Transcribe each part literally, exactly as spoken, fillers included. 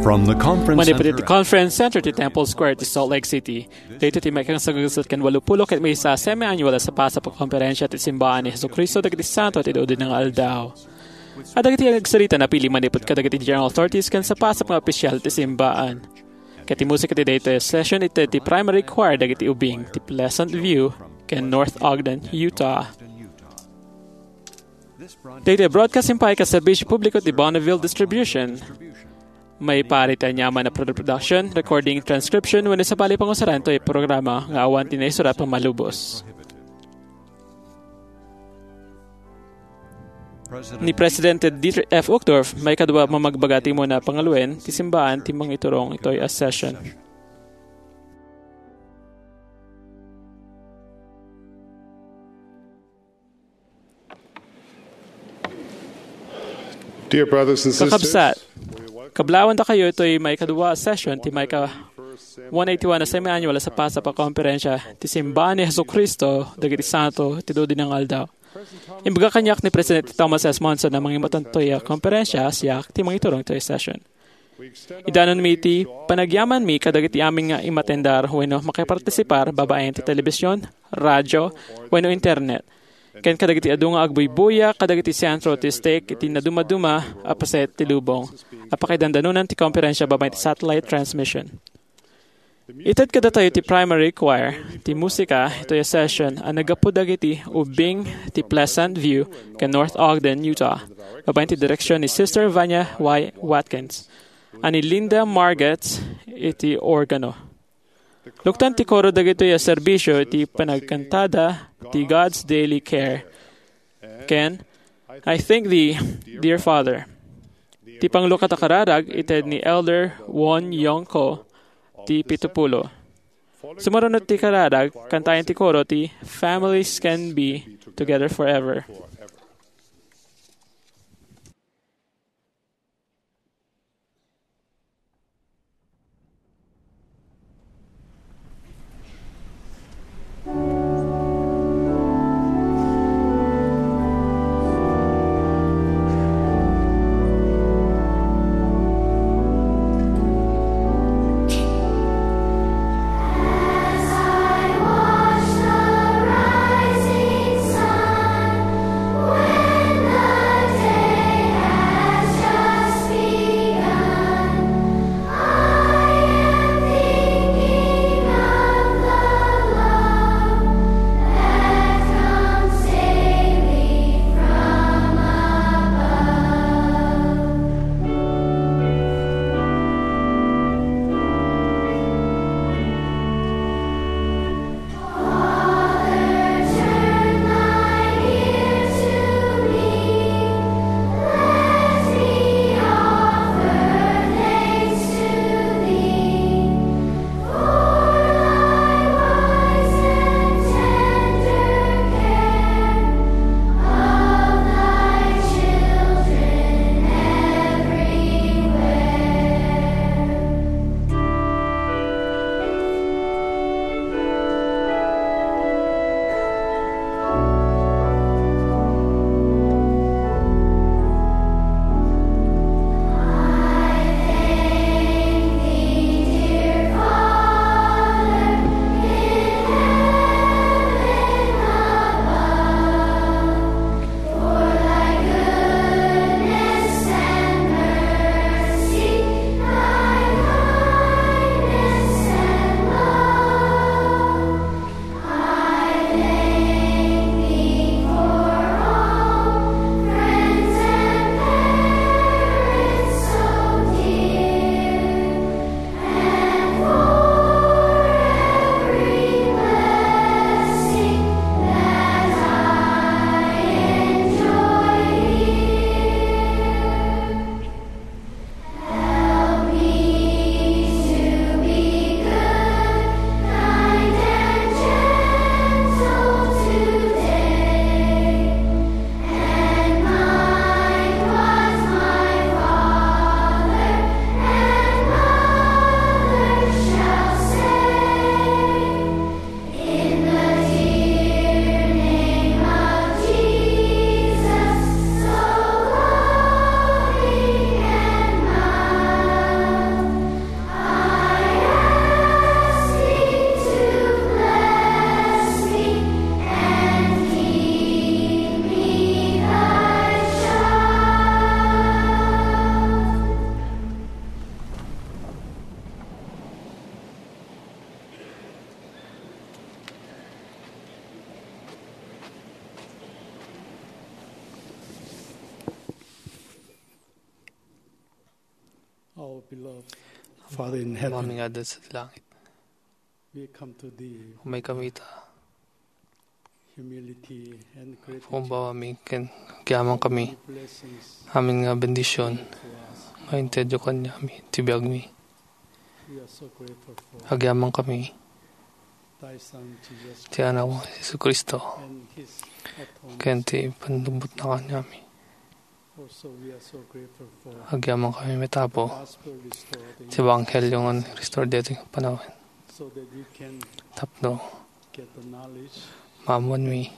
From the conference Manipud iti center. Conference Center ti Temple Square ti Salt Lake City. Daytoy ti maikangsagasat ken walupulo ket maysa a semi-annual a sapasap a konferensia ti Simbaan ni Jesucristo dagiti Santo ti Dudinna nga Aldaw. Adda dagiti agsarita a napili manipud kadagiti general authorities ken sapasap nga opisyal ti simbaan. Ket ti musika ti daytoy a session ited ti primary choir dagiti ubing ti Pleasant View ken North Ogden, Utah. Daytoy broadcast impaay ket serbisio publiko ti Bonneville Distribution. Maipaay ti aniaman a production, recording, transcription, wenno sabali pangusaran toy programa nga awan ti naisurat a malubos. Ni Presidente Dieter F. Uchtdorf, maikadua a mamagbaga ti umuna a pangaluen ti simbaan ti mangiturong itoy a session. Dear brothers and sisters, Kakabsat, kablawandakayo itoy maikadua a session ti maika one eighty-one a semi-annual a sapasap a konferensia ti Simbaan ni Jesucristo dagiti Santo ti Dudinna nga Aldaw. Imbaga kaniak ni Presidente Thomas S. Monson a mangimaton toy a konferensia, siak ti mangiturong toy session. Idanonmi iti panagyamanmi kadagiti amin nga imatendar wenno makipartisipar babaen ti telebisyon, radyo, wenno internet, ken kadagiti adu nga agbuybuya kadagiti sentro ti stake iti nadumaduma a paset ti lubong a pakidandanonan ti konferensia babaen ti satellite transmission. Ited kadatayo ti primary choir ti musika itoy a session a naggapu dagiti ubing ti Pleasant View ken North Ogden, Utah, babaen ti direksion ni Sister Vanya Y. Watkins, a ni Linda Margetts iti organo. Luktan ti koro dagitoy a serbisio iti panagkantada ti God's Daily Care ken I Thank Thee, Dear Father. Ti panglukat a kararag ited ni Elder Won Young Ko ti pitupulo. Sumurunod ti kararag, kantaen ti koro ti Families Can Be Together Forever. Father in heaven, Amami nga adda sa langit. We come to thee. Umay kami ita. Humility and gratitude. Pumbawa mi ken agyaman kami. Blessings Amin nga bendision. To us. Nga intedyo kanyami, ti biag mi. We are so grateful for Agyaman kami. Thy Son, Jesus Ti Anak mo, Jesu Cristo. And his atonement. Ken ti pannubbot na kanyami. Agyaman kami met, Apo, ti ebanghelio nga restore daytoy nga panawen. Tapno maammoanmi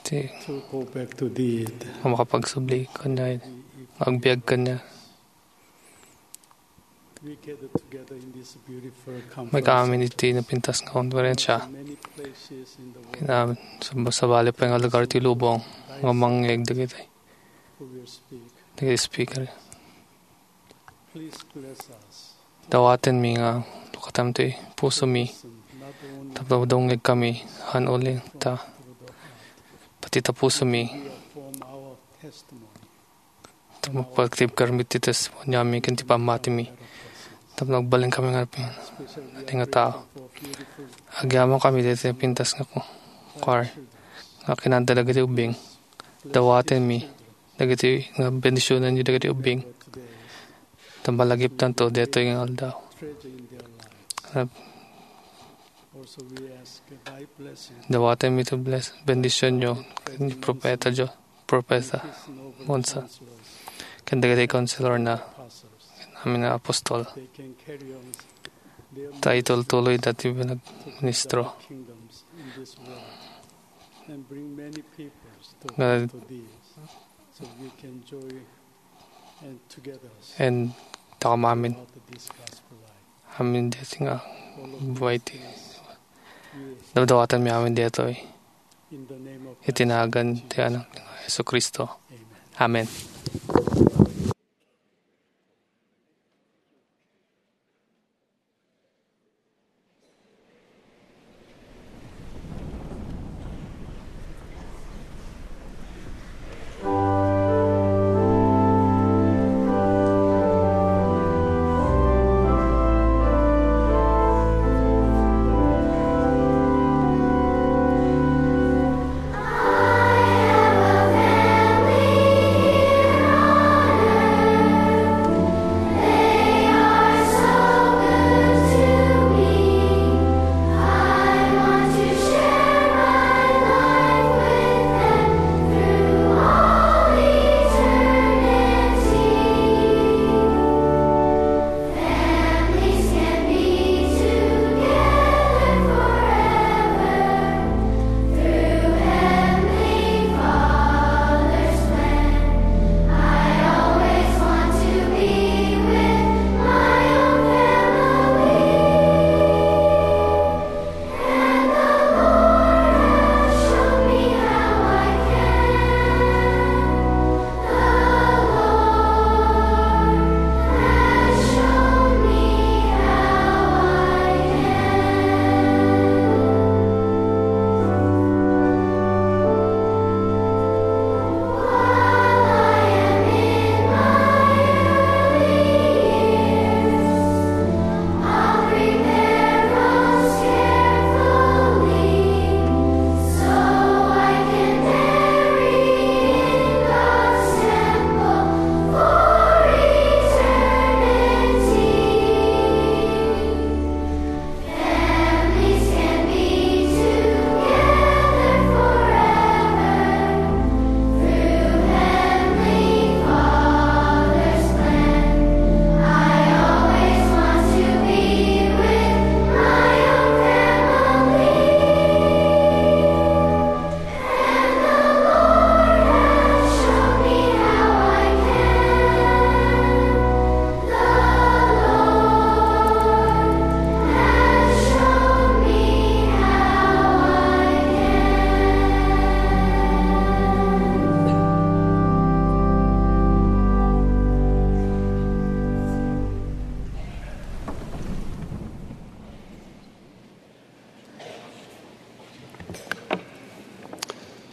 ti makapagsubli kaniak, agbiag kaniak. Umay kami iti napintas nga konferensia. Ken sabali pay nga lugar ti lubong nga mangngeg dagiti, dagiti speaker. Dawatenmi nga lukatam ti pusomi, tapno dumngeg kami, han uli ta pati ta pusomi. Tapno pagtibkermi ti testimoniomi ken ti pammatimi. Tapno agbalin kami nga pin-, nga tao. Agyaman kami daytoy pintas nga ku-, kuar nga kinanta dagiti ubbing. Dawatenmi dagiti nga bendisionenyo dagiti ubbing. Ta malagiptanto daytoy nga aldaw. Dawatenmi ti bless-, bendisionyo ken ni propeta Dios. Propeta Monson, ken dagiti counselor na, ken amin nga apostol, ta itultuloy dati nga nagministro. Nga en, ta kami amin. Amin deti nga buhay ti. Dawdawatanmi amin detoy. Iti nagan ti Anak nga Jesu-Cristo. Amen.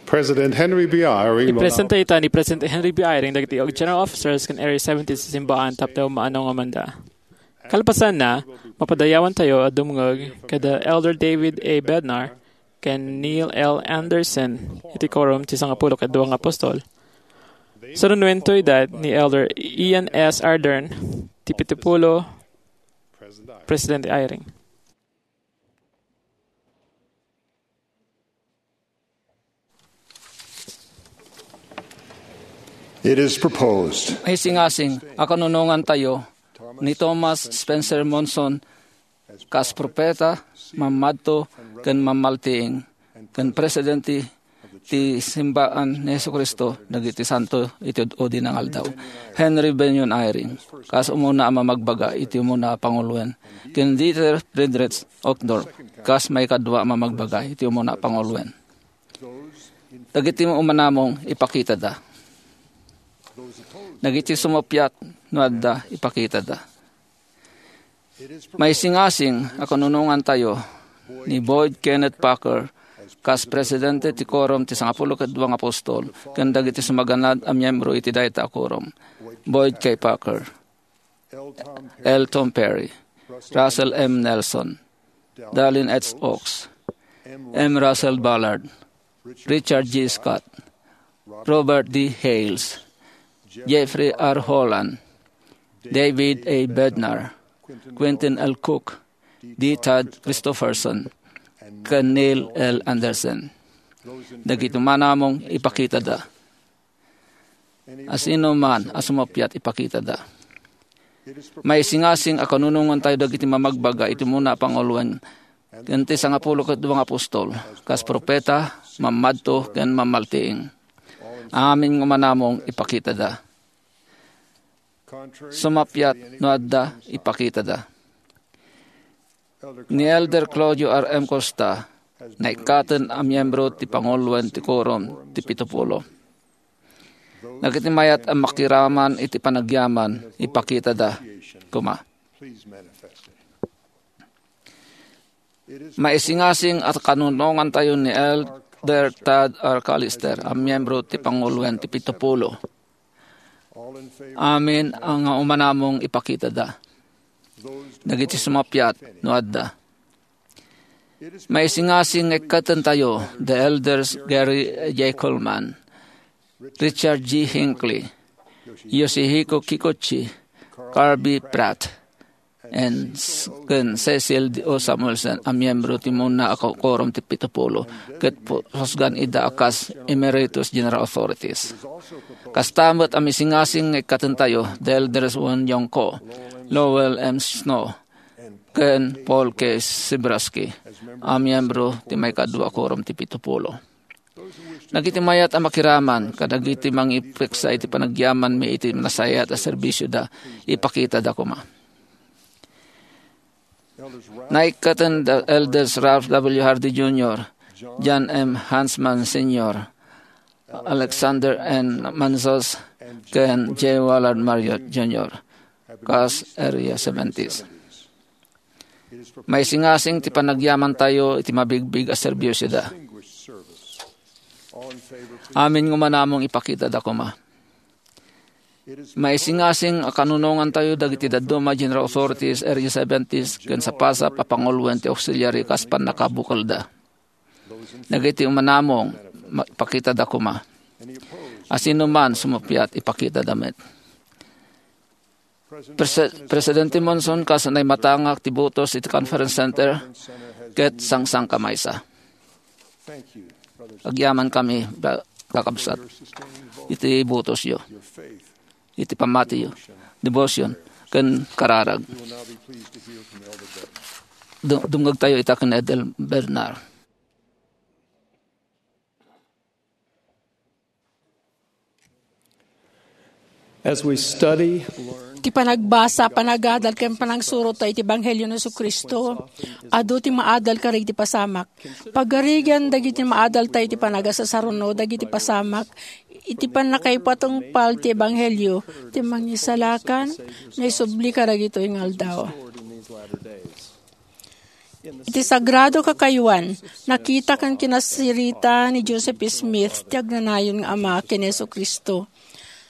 President Henry B. Eyring will now Ipresenta ita ni President Henry B. Eyring dagiti General Officers ken Area seventy ti simbaan tapno maano nga manda. Kalpasanna, mapadayawantayo a dumngeg kada Elder David A. Bednar ken Neil L. Andersen iti Quorum ti Sangapulo ket Dua nga Apostol. Sarunuento ida ni Elder Ian S. Ardern ti Pitupulo Presidente Eyring. It is proposed. Maisingasing a kanunongantayo ni Thomas Spencer Monson kas propeta, mammadto, ken mammaltiing, ken presidente ti simbaan ni Jesu-Cristo dagiti santo iti ud-udi nga aldaw. Henry Bennion Eyring, kas umuna a mamagbaga iti umuna a panguloen, ken Dieter Friedrich Uchtdorf, kas maikadua a mamagbaga iti umuna a panguloen. Dagiti umanamong ipakitada. Dagiti sumuppiat no adda ipakitada. Maisingasing a kanunongantayo ni Boyd Kenneth Packer kas presidente ti Quorum ti Sangapulo ket Dua nga Apostol ken dagiti sumaganad a miyembro iti dayta a Quorum. Boyd K. Packer, L. Tom Perry, Russell M. Nelson, Dallin H. Oaks, M. Russell Ballard, Richard G. Scott, Robert D. Hales, Jeffrey R. Holland, David A. Bednar, Quentin L. Cook, D. Todd Christofferson, ken Neil L. Andersen. Dagiti umanamong ipakitada. Asino man a sumuppiat ipakitada. Maisingasing a kanunongantayo dagiti mamagbaga iti umuna a panguloen ken ti Sangapulo ket Dua nga Apostol, kas propeta, mammadto, ken mammaltiing. Amin nga umanamong ipakitada. Sumuppiat no adda ipakitada. Ni Elder Claudio R. M. Costa, naikkaten a miyembro ti panguloen ti Quorum ti Pitupulo. Dagiti mayat a makiraman iti panagyaman, ipakitada koma. Maisingasing a kanunongantayo ni Elder Tad R. Callister a miyembro ti panguloen ti Pitupulo. Amin a nga umanamong ipakitada. Dagiti sumuppiat no adda. Maisingasing nga ikkatentayo the Elders Gary J. Coleman, Richard G. Hinckley, Yosihiko Kikuchi, Carby Pratt, and s-, ken Cecil D. O. Samuelson a miyembro ti umuna a ko-, Quorum ti Pitupulo, ket pu-, pusgan ida a kas Emeritus General Authorities. Kasta met a maisingasing nga ikkatentayo the Elders Won Yong Ko, Lowell M. Snow, ken Paul K. Sybrowsky a miyembro ti maikadua a Quorum ti Pitupulo. Dagiti mayat a makiraman kadagiti mangipeksa iti panagyamanmi iti nasayaat a serbisioda, ipakitada koma. Naikkaten da Elders Ralph W. Hardy Junior, John M. Hansman Senior, Alexander N. Manzos, ken J. Willard Marriott Junior, kas Area seventies. Maisingasing ti panagyamantayo iti mabigbig a serbiosioda. Amin nga umanamong ipakitada koma. Maisingasing a kanunongantayo dagiti dadduma a General Authorities, Area seventies, ken sapasap a panguloen ti auxiliary kas pannakabukelda. Dagiti umanamong, ma-, ipakitada koma. Asino man sumuppiat, ipakitada met. Prese-, Presidente Monson, kas naimatangak ti butos iti Conference Center, ket sangsangka maysa. Agyamankami, ba-, kakabsat, iti butosyo, iti pammatiyo, devotion, ken kararag. Du-, dumngegtayo ita ken Elder Bednar. As we study, Ti panagbasa, panagadal, ken panangsurot ta iti Ebanghelio ni Jesu-Cristo, adu ti maadal kadagiti pasamak. Pagarigan dagiti maadal ta iti panagasasaruno dagiti pasamak, iti pannakaipatungpal ti Ebanghelio, ti mangisalakan, naisubli kadagitoy nga aldaw. Iti sagrado kakayuan, nakita ken kinasirita ni Joseph Smith ti agnanayon nga ama ken Jesu-Cristo.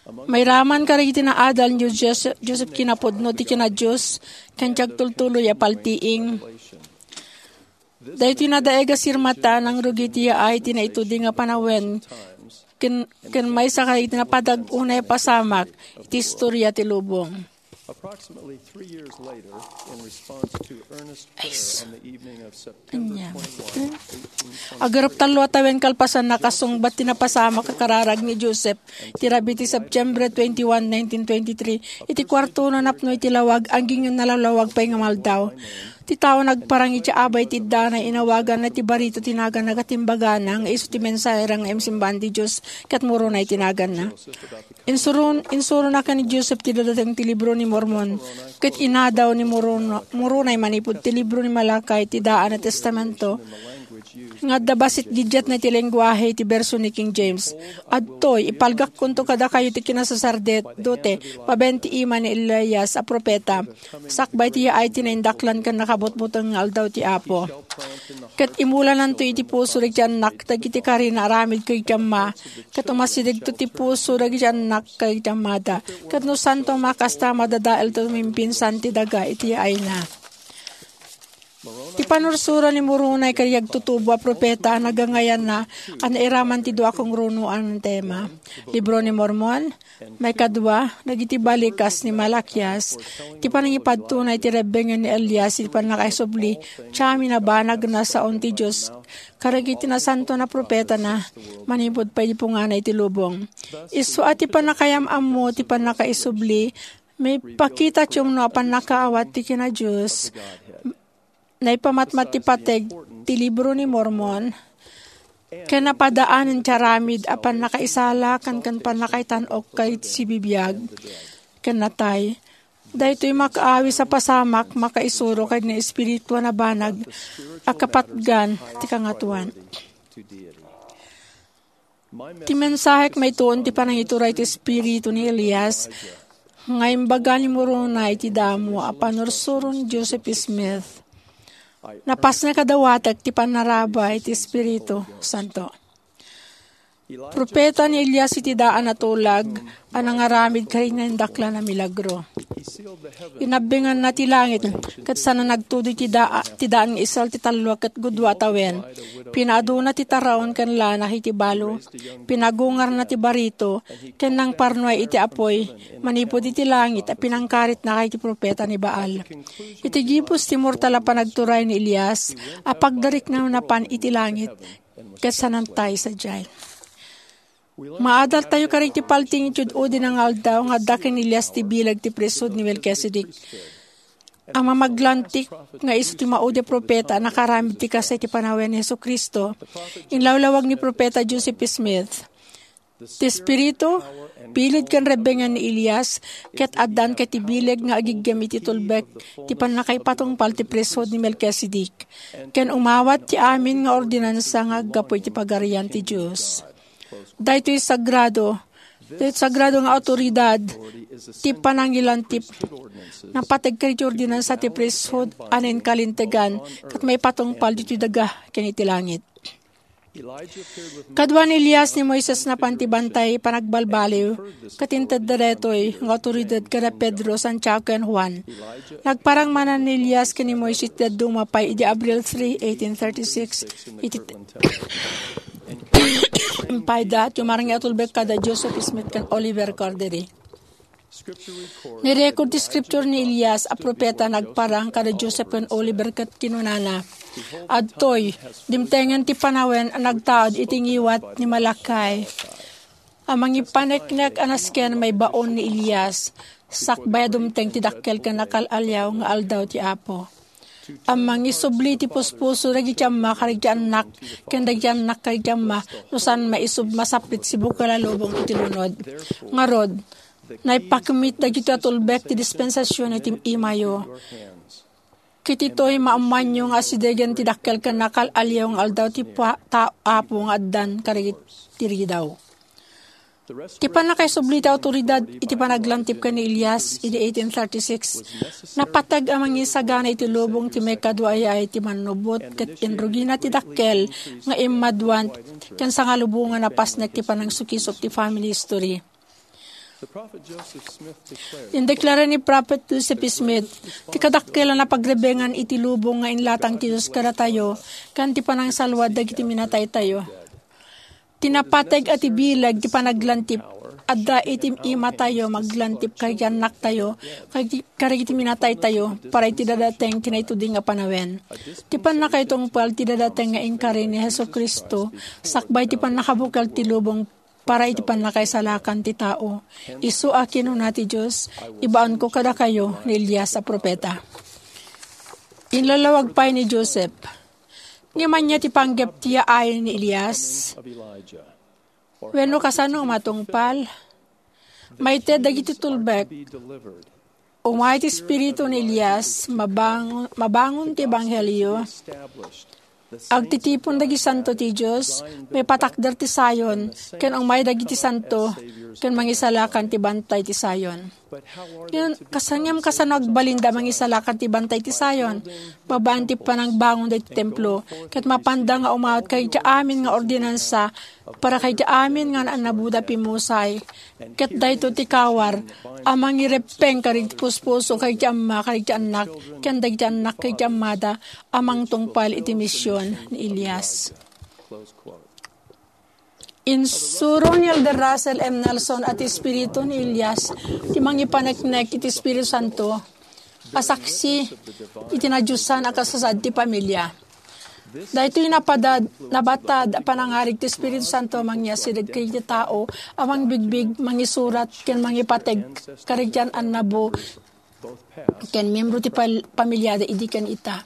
Mairaman kadagiti naadal ni Joseph, Joseph kinapudno ti kina-Dios ken ti agtultuloy a paltiing. Daytoy nadaig a sirmata nangrugi ti yaay ti naitudi nga panawen ken, ken maysa kadagiti napadag unay a pasamak iti istoria ti lubong. Approximately three years later, in response to earnest prayer on the evening of September Anya. twenty-one, eighteen twenty-three, Agarup tallo a tawen kalpasan, nakasungbat ti napasamak a kararag ni Joseph. Ti rabii ti September twenty-one, nineteen twenty-three, iti kuartona napno iti lawag, agingga nalawlawag pay nga maldaw. Ti tao nagparang iti abay ti iddaana, inawaganna ti barito ti naganna ket imbagana nga isu ti mensahero nga imsimbaan ti Dios ket Moroni ti naganna. Insurun-, insurona ken ni Joseph ti dadateng ti Libro ni Mormon, ket inadaw ni Moroni, Moroni manipud ti Libro ni Malachi ti daan a testamento nga adda bassit giddiatna iti lenguahe ti bersion ni King James. Adtoy, ipalgakkonto kadakayo ti kinasaserdote, babaen ti ima ni Elias a profeta, sakbay ti yaay ti naindaklan ken nakabutbuteng nga aldaw ti Apo. Ket imulananto iti puso dagiti annak dagiti karina aramid kadagiti amma, ket umasidegto ti puso dagiti annak kadagiti ammada. Ket no saanto a makasta, madadaelto no mimpinsan ti daga iti yaayna. Ti panursuro ni Moroni kadagiti agtutubo a profeta a nagangayanna a nairaman ti dua a kangrunoan a tema. Libro ni Mormon, maikadua, dagiti balikas ni Malakias, ti panangipadtona iti rebbengen ni Elias iti pannakaisubli ti amin a banag a nasaon ti Dios kadagiti nasantoan a profetana manipud paipunganna iti lubong. Isu a ti pannakayam-ammo ti pannakaisubli, maipakita ti umno a pannakaawat ti kina-Dios. Naipamatmat ti pateg ti Libro ni Mormon, ken napadaanen ti aramid a pannakaisalakan ken pannakaitan-ok kadagiti sibibiag ken natay. Daytoy makaawis a pasamak makaisuro kadagiti espirituan a banag a kapatgan ti Kangatoan. Ti mensahek maituon ti panangituray ti espiritu ni Elias nga imbaga ni Moroni iti damo a panursuro ni Joseph Smith. Napasnek a dawatek ti pannarabay ti Espiritu Santo. Profeta ni Elias iti daan a tulag a nangaramid kadagiti naindaklan a milagro. Inabbenganna ti langit, ket saan a nagtudoy ti daa-, ti daan nga isal ti tallo ket gudua a tawen. Pinaaduna ti taraon ken lana iti balo. Pinagungarna ti barito, ken nangparnuay iti apuy manipud iti langit a pinangkaritna kadagiti profeta ni Baal. Iti gibus ti mortal a panagturay ni Elias a pagdarikna napan iti langit, ket saan a natay sadiay. Maadaltayo kadagiti paltiing iti ud-udina nga aldaw nga adda ken Elias ti bileg ti priesthood ni Melkisedek. A mamaglantik nga isu ti maudi a profeta a nakaramid ti kasta iti panawen ni Jesu-Cristo, inlawlawag ni Profeta Joseph Smith. Ti Espiritu, bilin ken rebbengen ni Elias, ket addan ket ti bileg nga agiggem iti tulbek ti pannakaipatungpal ti priesthood ni Melkisedek, ken umawat ti amin nga ordinansa nga aggapu iti Pagarian ti Dios. Daytoy sagrado, daytoy sagrado nga awtoridad ti panangilanti napateg kadagiti ordinansa ti priesthood a nainkalintegan ket maipatungpal ditoy daga ken iti langit. Kadua ni Elias ni Moises napan ti bantay panagbalbaliw, ket intedda daytoy nga awtoridad kada Pedro, Santiago, ken Juan. Nagparang manen ni Elias ken ni Moises ti dadduma pay idi Abril three, eighteen thirty-six, iti payda ti umarang nga atulbek kada Joseph Smith ken Oliver Cowdery. Nirecord ti scripture ni Elias a profeta nagparang kada Joseph ken Oliver ket kinunana, "Adtoy, dimtengen ti panawen a nagtaud iti ngiwat ni Malachi a mangipaneknek a nasken maibaon ni Elias, sakbay a dumteng ti dakkel ken nakal-aliaw nga aldaw ti Apo." A mangisubli ti puspuso dagiti amma kadagiti annak, ken dagiti annak kadagiti amma, no saan maisub-, masapit ti bukel a lubong iti lunod. Ngarud, naipakemmit dagitoy a tulbek ti dispensasion iti imayo. Ket ditoy maammoanyo nga asidegen ti dakkel ken nakal-aliaw nga aldaw ti pa-, ta-, Apo nga addan kadagiti ridaw. Ti pannakaisubli ti awtoridad iti panaglantip ken ni Elias idi eighteen thirty-six, napateg a mangisagana iti lubong ti maikadua a yaay ti mannubot ket inrugina ti dakkel nga immaduan ken sangalubongan a pasnek ti panangsukisok ti family history. Indeklara ni Prophet Joseph Smith ti kadakkelan a pagrebengan iti lubong nga inlatang ti Dios kadatayo ken ti panangsalwad dagiti minataytayo. Ti napateg a ti bileg ti panaglantip adda iti imatayo maglantip kadagiti annaktayo, kadagiti minataytayo para iti dadateng ti naitudi nga panawen. Ti pannakaitungpal ti dadateng nga inkari ni Jesu-Cristo sakbay ti pannakabukel ti lubong para iti pannakaisalakan ti tao. Isu a kinuna ti Dios, "Ibaonko kadakayo ni Elias a propeta." Inlallawag pay ni Joseph, "Ngem ania ti panggep ti yaay ni Elias? Wenno kasano a matungpal?" Maited dagiti tulbek. Umay ti espiritu ni Elias, mabang-, mabangon ti ebanghelio. Agtitipon dagiti santo ti Dios, maipatakder ti Zion, ken umay dagiti santo, ken mangisalakan ti bantay ti Zion. Ngem, kas-, ngem kasano agbalinda mangisalakan ti bantay ti Zion? Babaen ti panangbangon dagiti templo, ket mapanda nga umawat kadagiti amin nga ordinansa, para kadagiti amin nga naannaboda a pimmusay. Ket daytoy ti kawar a mangireppeng kadagiti puspuso kadagiti amma kadagiti annak, ken dagiti annak kadagiti ammada a mangtungpal iti mision ni Elias. Insuro ni Elder Russell M. Nelson a ti espiritu ni Elias ti mangipaneknek iti Espiritu Santo a saksi iti nadiosan a kasasaad ti pamilia. Daytoy napadad-, nabatad a panangarig ti Espiritu Santo a mangiasideg kadagiti tao a mangbigbig, mangisurat, ken mangipateg kadagiti an-annabo ken miembro ti pal-, pamiliada idi ken ita.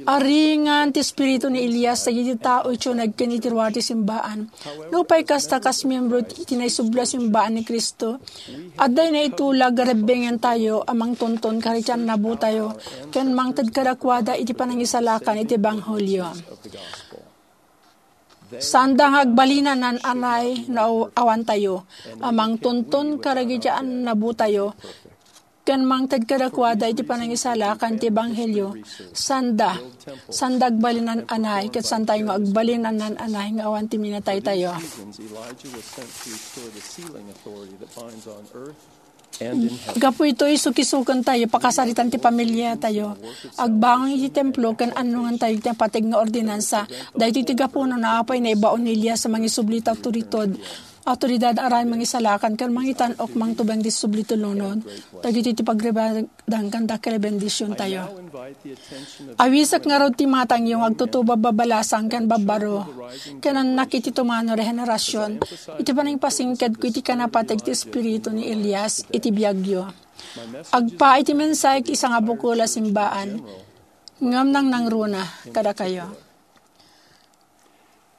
Aringan ti espiritu ni Elias dagiti tao iti uneg ken iti ruar ti simbaan. Nupay kasta, kas miembro iti naisubli a simbaan ni Cristo, adda naitulag a rebbengentayo a mangtonton kadagiti annabotayo ken mangted kadakuada iti panangisalakan iti ebanghelio. Saanda nga agbalin a naan-anay no aw-, awantayo a mangtonton kadagiti annabotayo ken mangted kadakuada iti panangisalakan ti ebanghelio. Saanda, saanda agbalin a naan-anay, ket saantayo nga agbalin a naan-anay nga awan ti minataytayo. Elijah was sent to restore the sealing authority that binds on earth and in heaven. Gapu itoy, sukisukentayo pakasaritan ti pamiliatayo. Agbangon iti templo ken annongantayo ti napateg nga ordinansa. Daytoy ti gapu no apay naibaon ni Elias a mangisubli ti awtoridad, awtoridad a rayen mangisalakan ken mangitan-ok mangtubeng ti subli ti lunod. Dagitoy ti pagrebadan ken dakkel a bendisiontayo. Awisek ngarud ti matangyo nga agtutubo a babbalasang ken babbaro, ken annak iti tumano rehenerasion, iti panangipasingkedko iti kinapateg ti espiritu ni Elias iti biagyo. Agpaay ti mensahe iti sangabukel a simbaan, ngem nangnangruna kadakayo.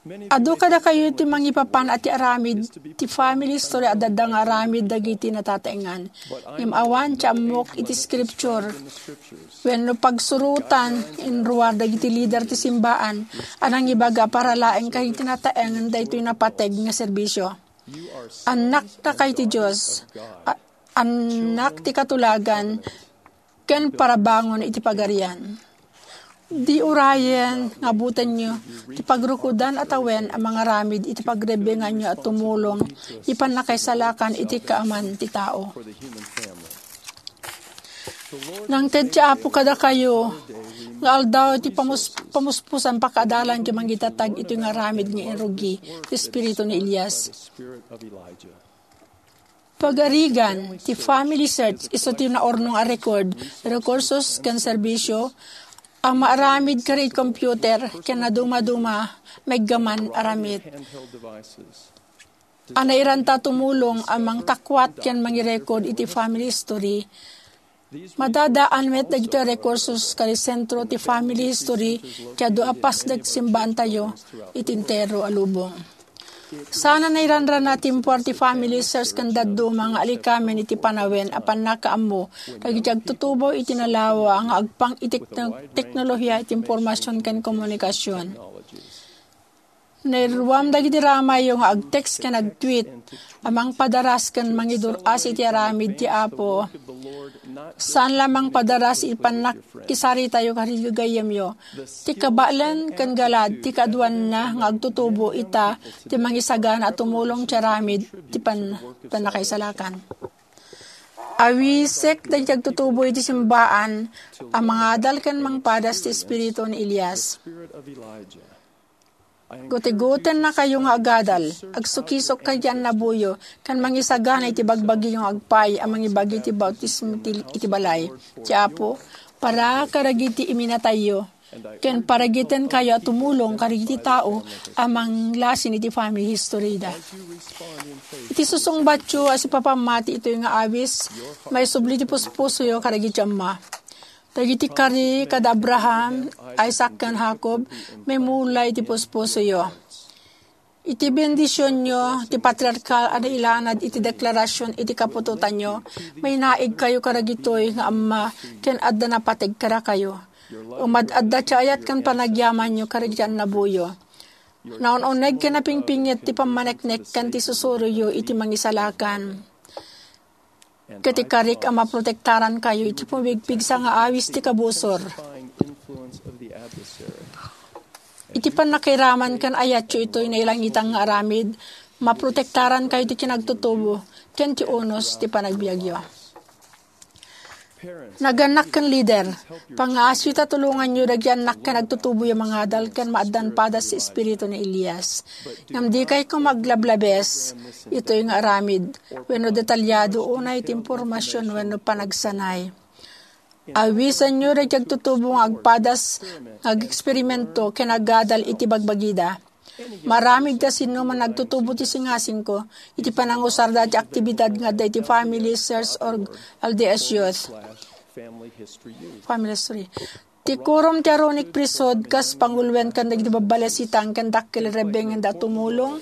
Adu kadakayo ti mangipapan a ti aramid ti family history a adda nga aramid dagiti natataengan. Ngem awan ti ammok iti scripture wenno pagsurotan inruar dagiti lider ti simbaan a nangibaga para laeng kadagiti nataengan daytoy napateg nga serbisio. Annakta kay ti Dios, a-, annak ti katulagan, ken parabangon iti Pagarian. Di urayen nga butenyo ti pagrukodan a tawen a mangaramid iti pagrebenganyo a tumulong iti pannakaisalakan iti kaaman ti tao. Nangted ti Apo kadakayo nga aldaw ti pamus-, pamuspusan pakaadalan ti mangitatag iti nga aramid nga inrugi ti espiritu ni Elias. Pagarigan ti family search isu ti naurnong a record, rekursos ken serbisyo a maaramid kadagiti computer ken nadumaduma maiggaman a ramid a nairanta tumulong a mangtakuat ken mangirecord iti family history. Madadaan met dagiti rekursos kadagiti sentro ti family history ti adu a pasdek ti simbaantayo iti entero a lubong. Saan a nairanrana ti impuar ti family search ken dadduma nga alikamen iti panawen a pannakaammo dagiti agtutubo iti nalawa nga agpang iti tekno-, teknolohiya iti impormasion ken komunikasion. Nairuam dagiti ramayyo nga ag-text ken ag-tweet a mangpadaras ken mangidur-as iti aramid ti Apo. Saan la mangpadaras iti pannakisaritayo kadagiti gayyemyo. Ti kabaelan ken galad ti kaaduanna nga agtutubo ita ti mangisagana a tumulong ti aramid ti pan-, pannakaisalakan. Awisek dagiti agtutubo iti simbaan a mangadal ken mangpadas ti espiritu ni Elias. Gutigotennakayo nga agadal, agsukisok kadagiti annaboyo, ken mangisagana iti bagbagiyo nga agpaay a mangibagi iti bautismo ti, iti balay ti Apo, para kadagiti iminatayyo, ken paragitenkayo a tumulong kadagiti tao a manglasin iti family history da. Iti susungbatyo a sipapammati itoy nga awis, maisubli ti puspusoyo kadagiti amma. Dagiti kari kada Abraham, Isaac, ken Jacob, maimula iti puspusoyo. Iti bendisionyo, ti patriarkal a nailanad iti deklarasion iti kaputotanyo, mainaigkayo kadagitoy nga amma ken adda napateg kadakayo. Umad-adda ti ayat ken panagyamanyo kadagiti annaboyo. Naun-uneg ken napingpinget ti pammaneknek ken ti susuroyo iti mangisalakan. Ket ikarik a maprotektarankayo iti pumigpigsa nga awis ti kabusor. Iti pannakairaman ken ayatyo itoy nailangitan nga aramid, maprotektarankayo ti kinagtutubo ken ti unos ti panagbiagyo. Nagannak ken lider, pangngaasiyo ta tulonganyo dagiti annak ken agtutuboyo mangadal ken maaddan padas ti espiritu ni Elias. Ngem dikay koma aglablabes itoy nga aramid wenno detalyado unay ti impormasion wenno panagsanay. Awisenyo dagiti agtutubo nga agpadas nga ageksperimento ken agadal iti bagbagida. Maramid ta sinoman nga agtutubo ti singasingko iti panangusarda ti aktibidad nga adda iti Family Search or L D S Youth. Family History. Ti Quorum ti Aaronic Priesthood kas panguloen ken dagiti babbalasitan ken dakkel a rebbengenda a tumulong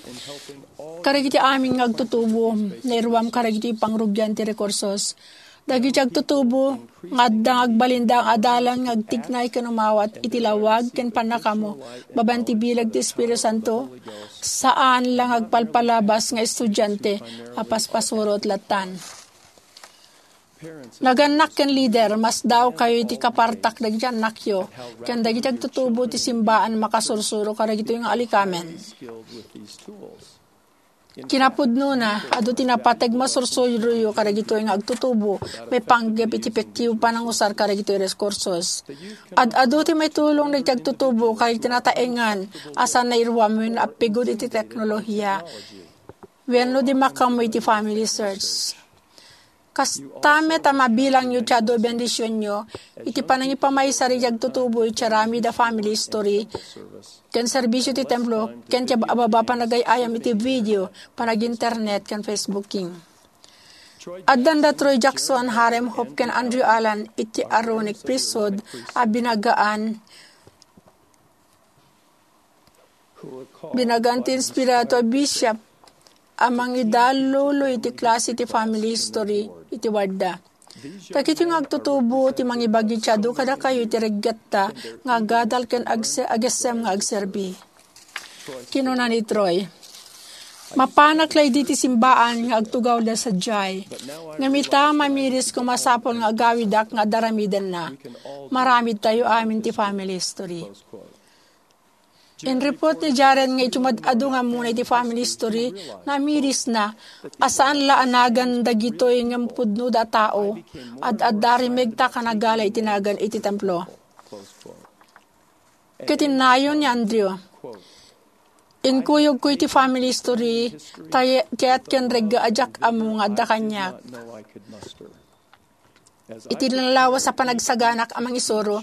kadagiti amin nga agtutubo, nairuam kadagiti pangrugian ti rekursos. Dagiti agtutubo nga adda nga agbalinda nga adalan nga agtignay ken umawat iti lawag ken pannakaammo babaen ti bileg ti Espiritu Santo, saan la nga agpalpalabas nga estudiante a paspasurot lattan. Nagannak ken lider, masdaawkayo iti kapartak dagiti annakyo ken dagiti agtutubo ti simbaan a makasursuro kadagitoy nga alikamen. Kinapudnona, adu ti napateg masursuroyo kadagitoy nga agtutubo maipanggep iti epektibo a panangusar kadagitoy rekursos. Ad-adu ti maitulong dagiti agtutubo kadagiti nataengan a saan nairuam wenno appigud iti teknolohiya wenno di makaammo iti Family Search. Kasta met a mabilangyo ti adu a bendisionyo iti panangipamaysa dagiti agtutubo iti aramid a family history ken serbisio ti templo ken ti ababa a panagay-ayam iti video, panag-internet, ken Facebooking. Addanda Troy Jackson, Hyrum Hope, ken Andrew Allan iti Aaronic Priesthood a binagaan Binagaan ti inspirado a bishop a mangidallulo iti klase ti family history iti wardda. Dagitoy nga agtutubo ti mangibagi ti adu kadakayo iti reggatta nga agadal ken agse-, agessem nga agserbi. Kinuna ni Troy, "Mapanak la idi ti simbaan nga agtugawda sadiay. Ngem ita, mamiris ko masapul nga agawidak nga ad-aramidenna. Maramidtayo amin ti family history." Inripot ni Jaren nga idiay umad-adu nga ammona iti family history, namirisna a saan la a nagan dagitoy ngem pudnoda a tao, ad-adda rimegta a nagala iti nagan iti templo. Ket innayon ni Andrew, "Inkuyogko iti family history, ta kayat ken regga a diak ammo nga adda kaniak." Iti nalawas a panagsaganak a mangisuro,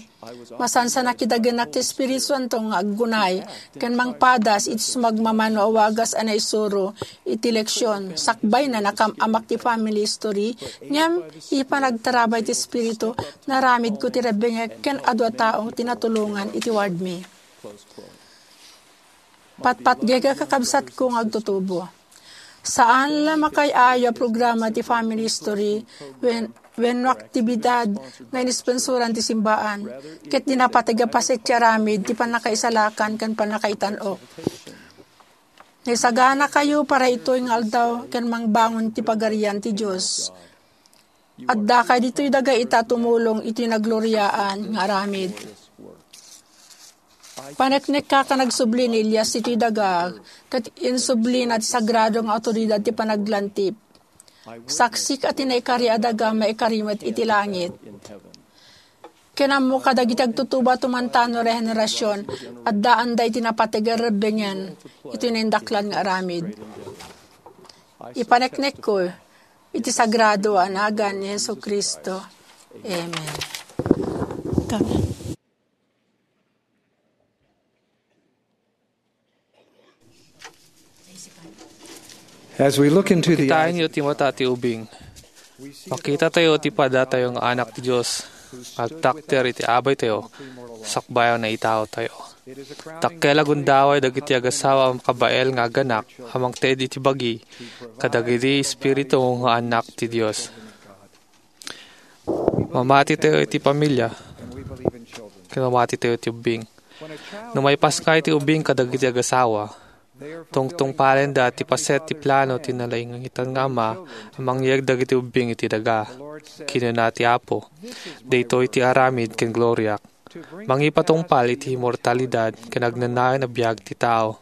masansanak ti dagenak ti Espiritu Santo nga aggunay ken mangpadas iti sumagmamano a wagas a naisuro iti leksion. Sakbay na nakam-amak ti family history, ngem iti panagtarabay ti Espiritu, naramidko ti rebbengek ken adu a tao ti natulongan iti wardmi. Patpatgek a kakabsatko nga agtutubo. Saan la makaay-ayo a programa ti family history wen-, wenno aktibidad nga inisponsoran ti simbaan, ket di napateg a paset ti aramid ti pannakaisalakan ken pannakaitan-ok. Naisaganakayo para itoy nga aldaw ken mangbangon ti Pagarian ti Dios. Addakay ditoy daga ita tumulong iti nagloriaan nga aramid. Paneknekak a nagsubli ni Elias itoy daga, ket insublina ti sagrado nga awtoridad ti panaglantip. Saksik a ti naikari a daga maikari met iti langit. Ken ammok a dagiti agtutubo a tumantano rehenerasion, addaanda iti napateg a rebbengen iti naindaklan nga aramid. Ipaneknekko iti sagrado a nagan ni Jesu-Cristo. Amen. Amen. As we look into the eyes Kitaenyo ti mata ti ubing. Makitatayo ti padatayo nga anak ti Dios nga agtakder iti abaytayo sakbay a naitaotayo. Dakkel a gundaway dagiti agasawa a makabael nga aganak a mangted iti bagi kadagiti espiritu nga annak ti Dios. Mamatitayo iti pamilia, ken mamatitayo iti ubbing. No maipasngay ti ubbing kadagiti agasawa, tungtungpalenda ti paset ti plano ti nalaingitan nga Ama a mangyeg dagiti ubbing iti daga. Kinuna ti Apo, "Daytoy ti aramid ken gloriak, mangipatungpal iti immortalidad ken agnanayon a biag ti tao."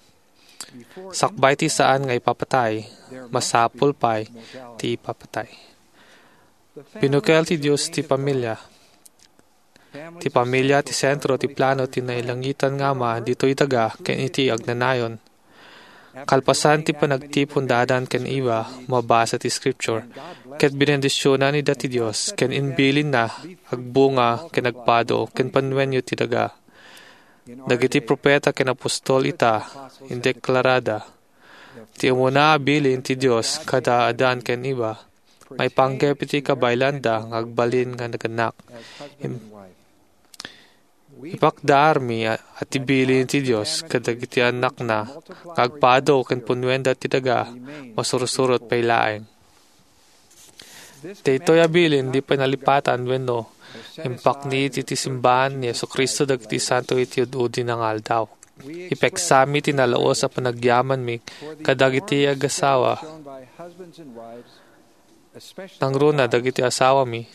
Sakbay ti saan nga ipapatay, masapul pay ti ipapatay. Binukel ti Dios ti pamilia. Ti pamilia ti sentro ti plano ti nailangitan nga Ama ditoy daga ken iti agnanayon. Kalpasan ti panagtipon da Adan ken Eva, mabasa ti Scripture, ket binendisionan ida ti Dios ken imbilinna, "Agbunga ken agpado ken panuenyo ti daga." Dagiti propeta ken apostol ita, indeklarada ti umuna a bilin ti Dios kada Adan ken Eva, maipanggep iti kabaelanda nga agbalin nga naganak. Im-, ipakdaarmi a, a ti bilin ti Dios kadagiti annakna nga agpado ken punuenda ti daga, masursurot pay laeng. Daytoy a bilin, di pay nalipatan wenno impaknit iti simbahan ni Jesu-Cristo dagiti santo iti ud-udina nga aldaw. Ipeksami ti nalaus a panagyamanmi kadagiti agasawa, nangruna dagiti asawami,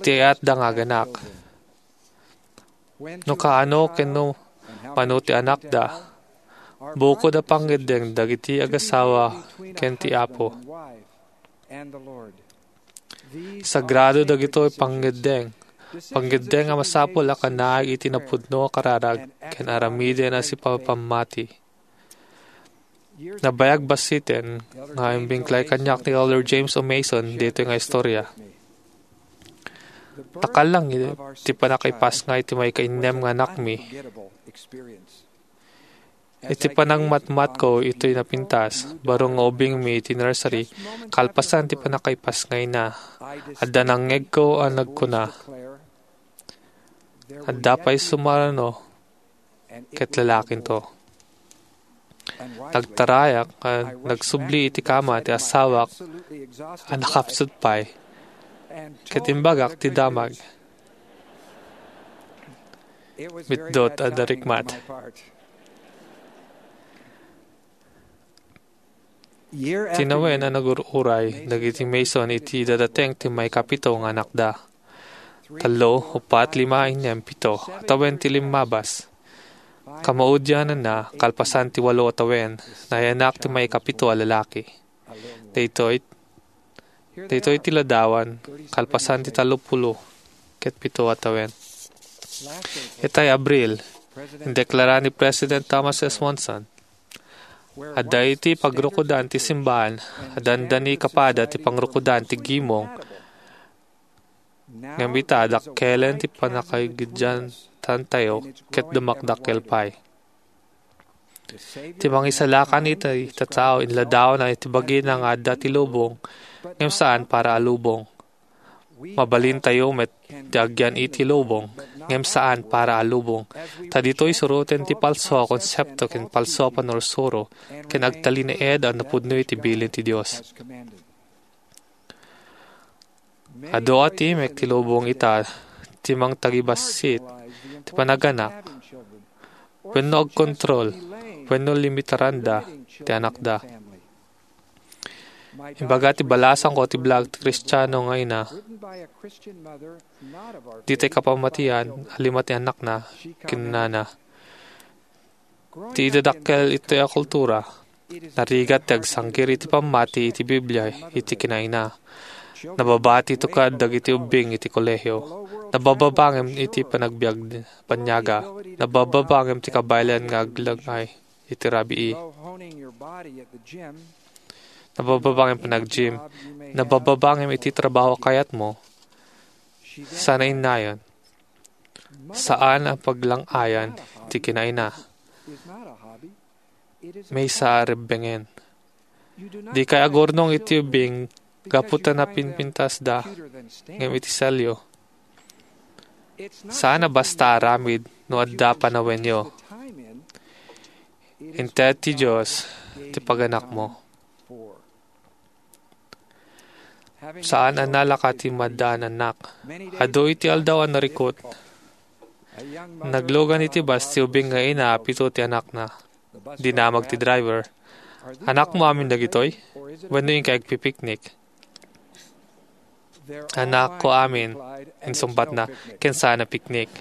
iti ayatda nga aganak. No kaano ken no mano ti anakda, bukod a pangngeddeng dagiti agasawa ken ti Apo. Sagrado dagitoy pangngeddeng, pangngeddeng a masapul a kanaig iti napudno a kararag ken aramiden a sipapammati. Nabayag bassiten nga imbingklay kaniak ni Elder James O. Mason ditoy nga istorya. Nakallang ti pannakaipasngay ti maikainnem nga anakmi. Iti panangmatmatko itoy napintas, baro nga ubingmi iti nursery, kalpasan ti pannakaipasngayna, adda nangngegko a nagkuna, "Adda pay sumarano ket lalakinto." Nagtarayak a nagsubli iti kama ti asawak a nakapsut pay, ket imbagak ti damag. Mitdot a narikmat. Tinawen a nagur-uray dagiti Mason iti dadateng ti maikapito nga anakda. Tallo, uppat, lima, innem, pito a tawen ti limmabas. Kamaudiananna, kalpasan ti walo a tawen, nayanak ti maikapito a lalaki. Daytoy, daytoy ti ladawan, kalpasan ti tallopulo ket pito a tawen. Itay Abril, indeklara ni President Thomas S. Monson, "Adda iti pagrukodan ti simbahan a dandani kapada ti pangrukodan ti gimong, ngem ita, dakkelen ti pannakaigantantayo ket dumakdakkel pay." Ti mangisalakan iti tattao, inladawna iti bagina nga adda ti lubong, ngem saan para a lubong. Mabalintayo met ti agyan iti lubong, ngem saan para a lubong. Ta ditoy suroten ti palso a konsepto ken palso a panursuro ken agtalinaed a napudno iti bilin ti Dios. Adu a timek ti lubong ita ti mangtagibassit ti panaganak wenno agkontrol wenno limitaranda ti anakda. Ibaga ti balasangko ti biag ti Kristiano nga ina, ditay kapamatian a lima ti annakna, kinunana. Ti idadakkel itoy a kultura, narigat ti agsanggir iti pammati iti Biblia iti kinaina. Nababati ito kad dagiti ubbing iti kolehio. Nabababa ngem iti panagbiag banyaga. Nabababa ngem ti kabaelan nga aglang-ay iti rabii. Nabababa ngem panag-gym. Nabababa ngem iti trabaho a kayatmo. Saan a innayon. Saan a paglang-ayan ti kinaina. Maysa a rebbengen. Dikay agurnong iti ubbing gapu ta napinpintasda ngem iti selyo. Saan a basta aramid no adda panawenyo. Inted ti Dios ti paganakmo. Saan a nalaka ti maddaan annak. Adu iti aldaw a narikut. Naglugan iti bus ti ubing nga ina a pito ti anakna. Dinamag ti driver, "Anakmo amin dagitoy? Wenno inkay agpipiknik?" "Anakko amin," insungbatna, "ken saan a piknik."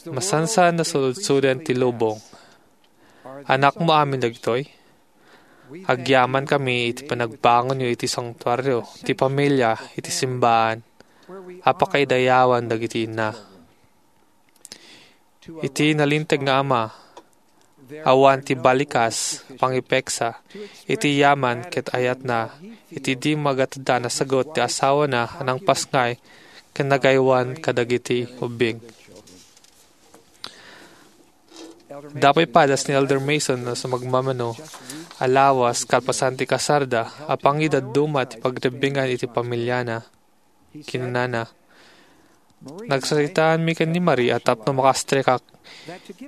Masansan, nasulodsoden ti lubong. "Anakmo amin dagitoy? Agyamankami iti panagbangonyo iti santuario, ti pamilia, iti simbaan, a pakaidayawan dagiti inna." Iti nalinteg nga ama, awan ti balikas, pangipeksa, iti yaman ket ayatna, iti di magateddan a sagut ti asawana a nangpasngay ken nagaywan kadagiti ubbing. Adda pay padas ni Elder Mason a sumagmamano a lawas kalpasan ti kasarda a pangidadduma ti pagrebbengan iti pamiliana. Kinunana, "Nagsaritaanmi ken ni Marie a tapno makastrikak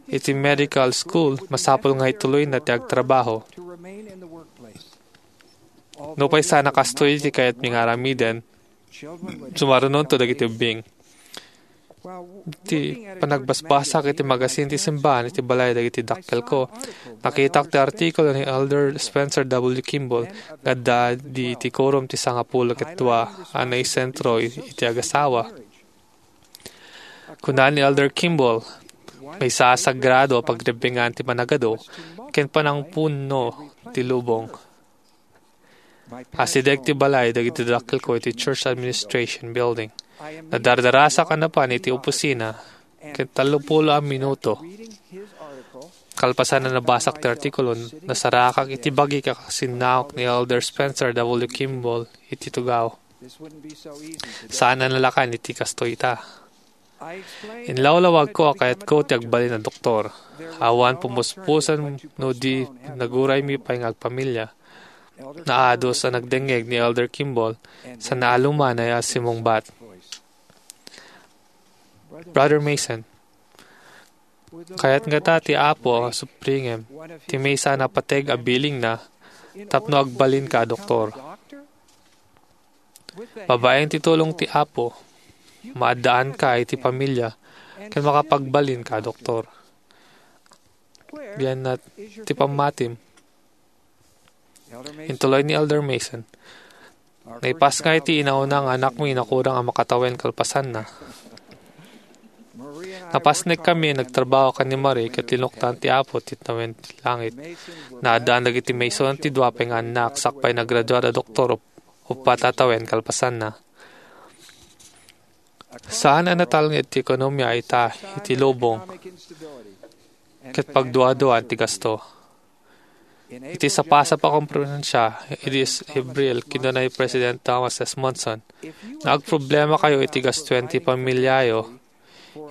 iti medical school, masapul nga ituloyna ti agtrabaho. Nupay saan a kastoy ti kayatmi nga aramiden, sumarunonto dagiti ubbing." Ti panagbasbasak iti magasin ti simbahan iti balay dagiti dakkelko, nakitak ti artikulo ni Elder Spencer W. Kimball nga adda di ti Quorum ti Sangapulo ket Dua a naisentro iti agasawa. Kuna ni Elder Kimball, "Maysa a sagrado a pagrebbengan ti panagadu ken panangpunno ti lubong." Asideg ti balay dagiti dakkelko iti Church Administration Building. Nadardarasak a napan iti opisina ket tallopulo a minuto kalpasan a nabasak ti artikulo, nasarakak iti bagik a kasinnaok ni Elder Spencer W. Kimball iti tugaw. Saan a nalakan iti kastoy ita. Inlawlawagko a kayatko ti agbalin a doktor. Awan pumuspusan no di naguraymi pay nga agpamilia. Naadus a nagdengngeg ni Elder Kimball sa naalumanay a simungbat. "Brother Mason, kayat ngata ti Apo a supringem ti maysa a napateg a bilingna tapno agbalinka a doktor. Babaen ti tulong ti Apo, maaddaanka iti pamilia ken makapagbalinka a doktor. Dianna ti pammatim." Intuloy ni Elder Mason, "Naipasngay ti inauna nga anakmi nakurang a makatawen kalpasanna. Napasnekami a nagtrabaho ken ni Marie ket linuktan ti Apo ti tawen ti langit. Naaddaan dagiti Mason ti dua pay nga annak sakbay nagraduar a doktor up-, uppat a tawen kalpasanna. Saan a natalnged ti ekonomia ita iti lubong ket pagduaduaan ti gasto." Iti sapasap a komperensia idi Abril, kinuna ni President Thomas S. Monson, "No agproblemakayo iti gastoen ti pamiliayo,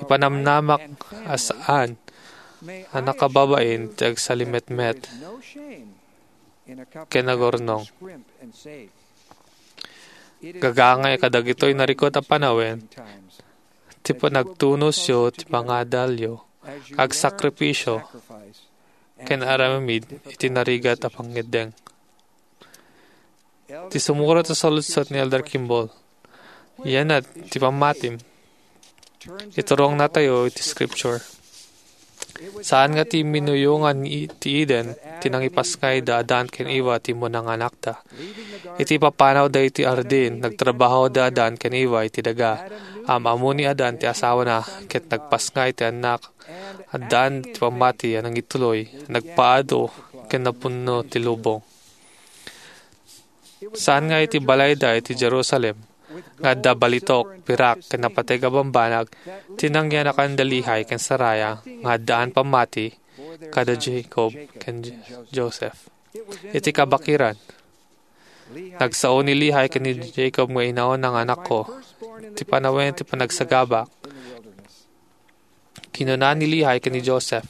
ipanamnamak a saan a nakababain ti agsalimetmet ken agurnong. Gagangay kadagitoy narikut a panawen ti panagtunosyo ti pangadalyo, agsakripisyo, ken aramid iti narigat a pangngeddeng." Ti sumurat a saludsod ni Elder Kimball, "Dianna ti pammatim?" Iturongnatayo iti Scripture. Saan nga ti minuyongan ni, ti Eden, ti nangipasngay da Adan ken Eva ti umuna nga anakda. Iti papanawda iti ardin, nagtrabaho da Adan ken Eva iti daga. Am-ammo ni Adan ti asawana, ket nagpasngay ti annak. Adan ti pammati a nangituloy, nagpaado, ken napunno ti lubong. Saan nga iti balayda iti Jerusalem, nga adda balitok, pirak, ken napateg a bambanag, ti nangyanakan da Lehi ken Sariah, nga addaan pammati, kada Jacob ken J-, Joseph. Iti kabakiran, nagsao ni Lehi ken ni Jacob nga inauna nga anakko. Ti panawen ti panagsagabak. Kinuna ni Lehi ken ni Joseph,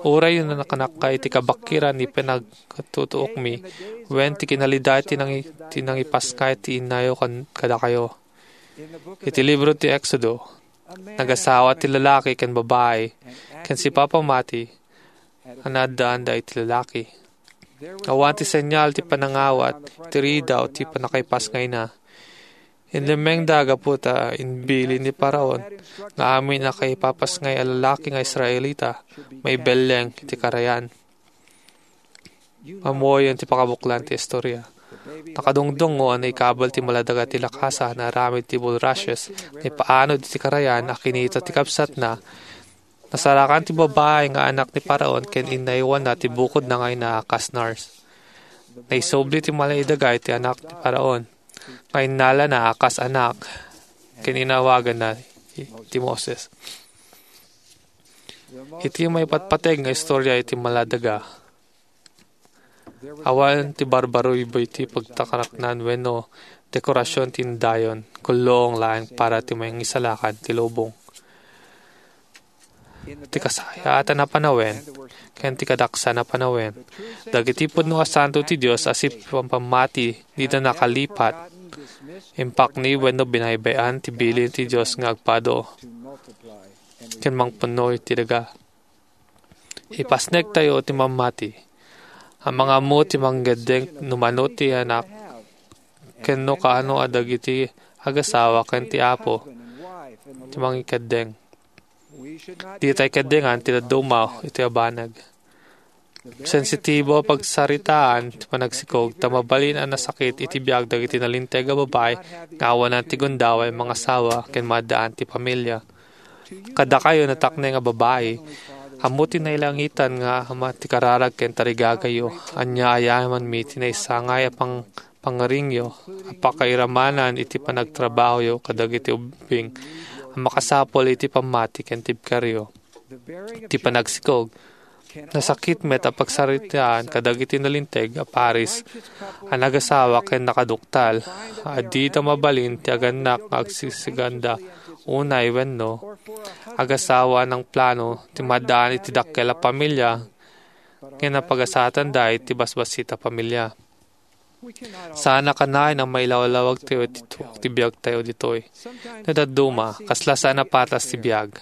"Uray no nakanakka iti kabakiran ni panagtutuokmi, wen ti kinalidad ti nangi-, ti nangipasngay ti innayo kan-, kadakayo." Iti libro ti Exodo, nagasawa ti lalaki ken babai, ken sipapammati, a naaddaanda iti lalaki. Awan ti senyal ti panangawat, ti ridaw, ti pannakaipasngayna. Inlemmengda gapu ta imbilin ni Faraon nga amin a kaipapasngay a lalaki nga Israelita maibelleng iti karayan. Ammoyo ti pakabuklan ti istorya. Nakadungdungngo a naikabel ti maladaga ti lakasan a aramid ti bulrushes, naipaanod iti karayan a kinita ti kabsatna. Nasarakan ti babai nga anak ni Faraon ken inaywanna ti bukodna nga ina a kas nurse. Naisubli ti maladaga iti anak ni Faraon nga innalana a kas anak ken inawaganna ti Moses. Iti maipatpateg nga istorya iti maladaga, awan ti barbaruybuy ti pagtakaraknan wenno dekorasion ti indayon, kullong laeng para ti mangisalakan ti lubong. Ti kasayaatan a panawen ken ti kadaksan a panawen, dagiti pudno a santo ti Dios a sipampammati dida nakalipat, impakni wenno binaybay-an ti bilin ti Dios nga agpado ken mangpunno iti daga. Ipasnektayo ti mammati. Amangan mo ti mangikeddeng no mano ti anak, ken no kaano a dagiti agasawa ken ti apo ti mangikeddeng. Ditay keddengan ti dadduma iti a banag. Sensitibo a pagsaritaan ti panagsikog, ta mabalin a nasakit iti biag dagiti nalinteg a babai nga awanan ti gundaway mangasawa ken maaddaan ti pamilia. Kadakayo, natakneng a babai, ammo ti nailangitan nga Ama ti kararag ken tarigagayo. Ania a yamanmi ti naisangay a pang-, pangngaringyo a pakairamanan iti panagtrabahoyo kadagiti ubbing a makasapul iti pammati ken tibkeryo. Ti panagsikog, nasakit met a pagsaritaan kadagiti nalinteg a paris a nagasawa ken nakaduktal a dida mabalin ti agannak nga agsisiganda unay wenno agasawa a nangplano ti maaddaan iti dakkel a pamilia ken napagasatanda iti basbassit a pamilia. Saan a kanayon a mailawlawagtayo iti tuok ti biagtayo ditoy. No dadduma, kasla saan a patas ti biag.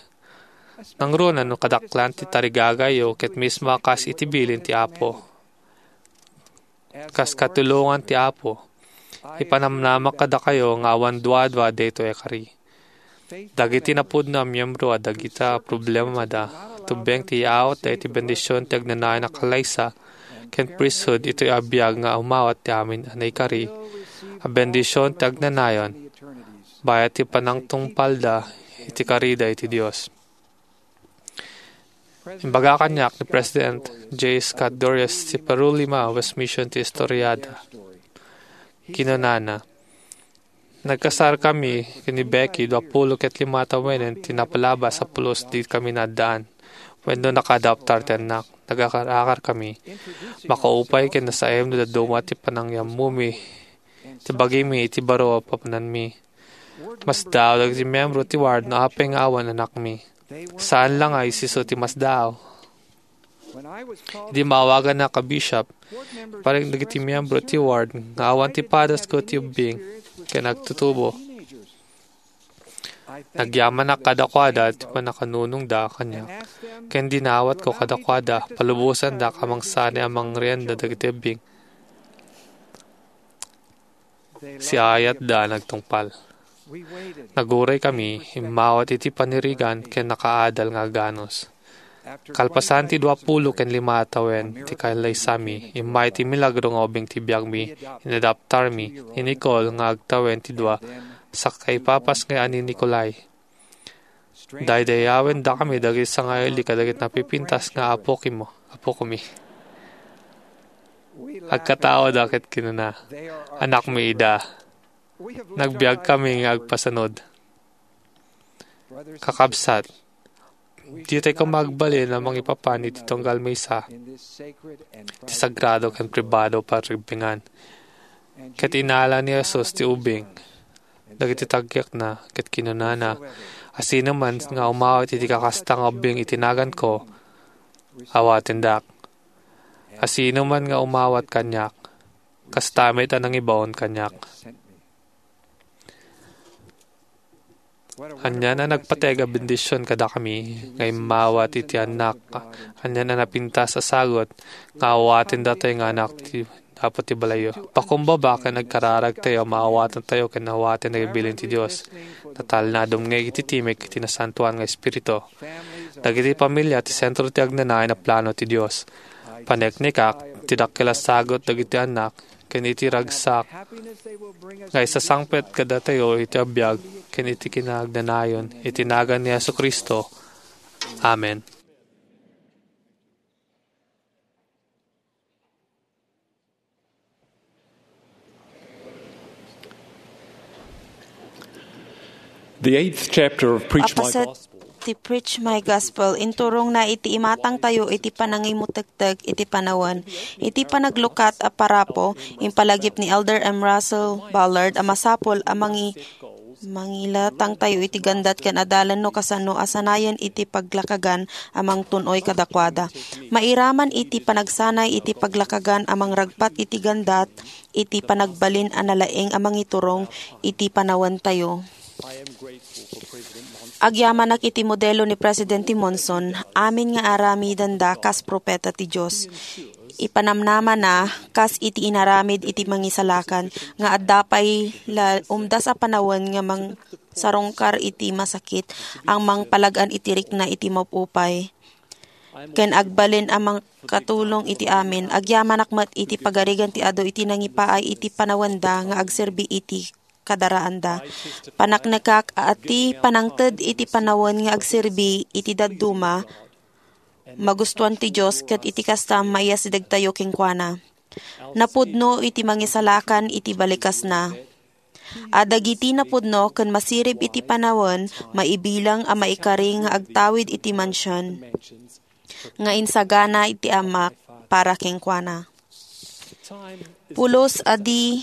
Nangruna no kadaklan ti tarigagayo ket mismo a kas iti bilin ti Apo. Kas katulongan ti Apo, ipanamnamak kadakayo nga awan duadua daytoy a kari. Dagiti napudno a miembro a dagita a problemada, tubeng ti yaawatda iti bendision ti agnanayon a kalaysa ken priesthood itoy a biag nga umawat ti amin a naikari a bendision ti agnanayon, bayat ti panangtungpalda iti karida iti Dios. Imbaga kaniak ni President J. Scott Dorius ti Peru Lima West Mission ti istoriada. Kinunana, "Nagkasarkami ken ni Becky, dua pulo ket lima a tawenen ti napalabas a pulos di kami naaddaan wenno nakaadoptar ti annak. Nagakar-akarkami. Makaupay ken nasaem no dadduma ti panangyammomi ti bagimi iti baro a papananmi. Masdaaw dagiti miyembro ti ward no apay nga awan anakmi. Saan la nga isu ti masdaaw." Idi maawaganak a bishop, iparik dagiti miyembro ti ward nga awan ti padasko ti ubbing ken agtutubo. Nagyamanak kadakuada ti pannakanunongda kaniak, ken dinawatko kadakuada, palubosandak a mangsanay a mangrienda dagiti ubbing. Siaayatda a nagtungpal. Naguray kami, immawat iti panirigan ken nakaadal nga aganus. Kalpasan ti dua pulo ken lima a tawen ti kalaysami, immay ti milagro nga ubing ti biagmi, inadaptarmi ni Nicole nga agtawen ti dua sakaipapas nga ani Nicolai. Daydayawendakami dagiti sangaili kadagiti napipintas nga apokimo, apokomi. Agkataoda ket kinuna, "Anakmi ida. Nagbiagkami nga agpasanud." Kakabsat, ditoy koma agbalin a mangipapan iti tunggal maysa ti sagrado ken pribado a pagribbingan. Ket inala ni Jesus ti ubing dagiti tagiakna, ket kinunana, "Asinoman nga umawat iti kakasta nga ubing iti naganko, awatendak. Asinoman nga umawat kaniak, kasta met a nangibaon kaniak." Ania a nagpateg a bendision kadakami nga immawat iti annak, ania a napintas a sagut nga awaten datoy nga anak ti, apo ti balayyo. Pakumbaba ken agkararagtayo a maawatantayo ken awaten dagiti bilin ti Dios. Natalna a dumngeg iti timek iti Nasantoan nga Espiritu. Dagiti pamilia ti sentro ti agnanayon a plano ti Dios. Paneknekak ti dakkel a sagut dagiti annak ken iti ragsak nga isasangpet kadatayo iti biag ken iti kinaagnanayon iti nagan ni Jesu-Cristo. Amen. The eighth chapter of Preach My Apaset Gospel. Ti Preach My Gospel, inturongna iti imatangtayo iti panangimutektek iti panawen. Iti panaglukat a parapo, impalagip ni Elder M. Russell Ballard a masapul a mangi-, mangilatangtayo iti gandat ken adalan no kasano a sanayen iti paglakagan a mangtun-oy kadakuada. Mairaman iti panagsanay iti paglakagan a mangragpat iti gandat, iti panagbalin a nalaing a mangiturong iti panawentayo. Agyamanak iti modelo ni Presidente Monson, amin nga aramidenda kas propeta ti Dios. Ipanamnamana kas iti inaramid iti mangisalakan nga adda pay la umdas a panawen nga mangsarungkar iti masakit a mangpalag-an iti rikna iti maupay. Ken agbalin a mangkatulong iti amin, agyamanak met iti pagarigan ti adu iti nangipaay iti panawenda nga agserbi iti kadaraanda. Paneknekak a ti panangted iti panawen nga agserbi iti dadduma, magustuan ti Dios ket iti kasta, maiyasidegtayo kenkuana. Napudno iti mangisalakan iti balikasna. A dagiti napudno ken masirib iti panawen, maibilang a maikari nga agtawid iti mansion nga insagana iti Amak para kenkuana. Pulos a di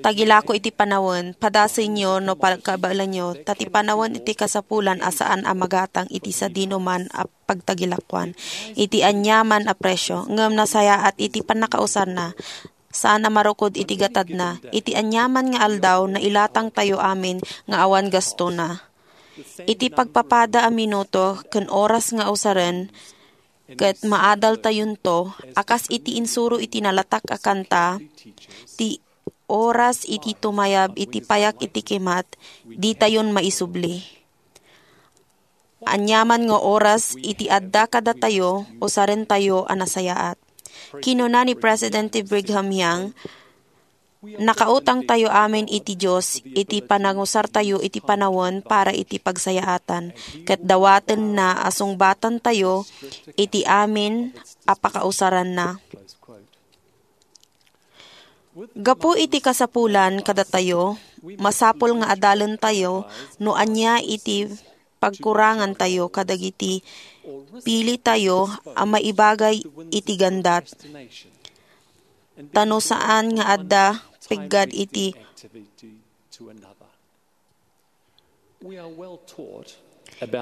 tagilako iti panawen, padasenyo no pagkabaelanyo, ta ti panawen iti kasapulan a saan a magatang iti sadinoman a pagtagilakoan iti aniaman a presio, ngem nasayaat iti pannakausarna, saan a marukod iti gatadna. Iti aniaman nga aldaw, nailatangtayo amin nga awan gastona. Iti pagpapada a minuto ken oras nga usaren, ket maadaltayonto, a kas iti insuro iti nalatak a kanta, ti oras iti tumayab iti payak iti kimat, ditayon maisubli. Aniaman nga oras iti adda kadatayo, usarentayo a nasayaat. Kinuna ni Presidente Brigham Young, "Nakautangtayo amin iti Dios iti panangusartayo iti panawen para iti pagsayaatan, ket dawatenna a sungbatantayo iti amin a pakausaranna." Gapu iti kasapulan kadatayo, masapul nga adalentayo no ania iti pagkurangantayo kadagiti pilitayo a maibagay iti gandat, ta no saan nga adda peggad iti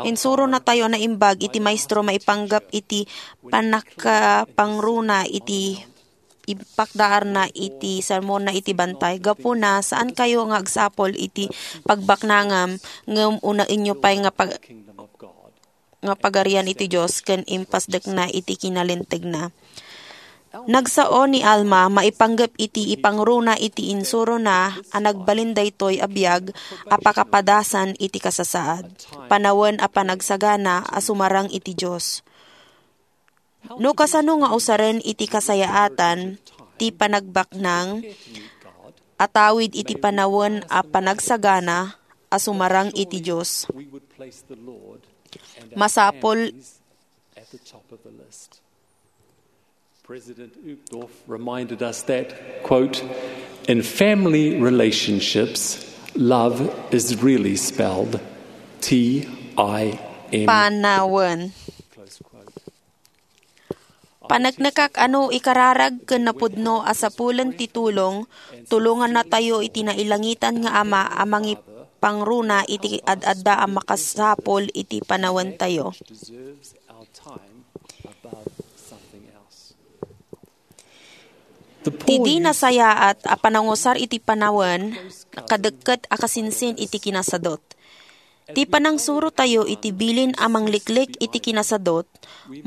Insuronatayo a naimbag iti maestro maipanggep iti pannakapangruna iti ipakdaarna iti sermonna iti bantay. Gapuna, saankayo nga agsapul iti pagbaknangam, ngem unaenyo pay nga pag-, nga Pagarian iti Dios ken impasdekna iti kinalintegna. Nagsao ni Alma maipanggep iti ipangruna iti insurona a nagbalin daytoy a biag a pakapadasan iti kasasaad, panawen a panagsagana a sumarang iti Dios. No kasano nga usaren iti kasayaatan ti panagbaknang a tawid iti panawen a panagsagana a sumarang iti Dios. Masapul at the top of the list. President Uchtdorf reminded us that, quote, "In family relationships, love is really spelled T I M." Panawen. Close quote. Paneknekak a no ikararag ken napudno a sapulen ti tulong, tulongannatayo iti nailangitan nga Ama a mangipangruna iti ad-adda a makasapul iti panawentayo. Ti di nasayaat a panangusar iti panawen, kadekket a kasinsin iti kinasadot. Ti panangsurotayo iti bilin a mangliklik iti kinasadot,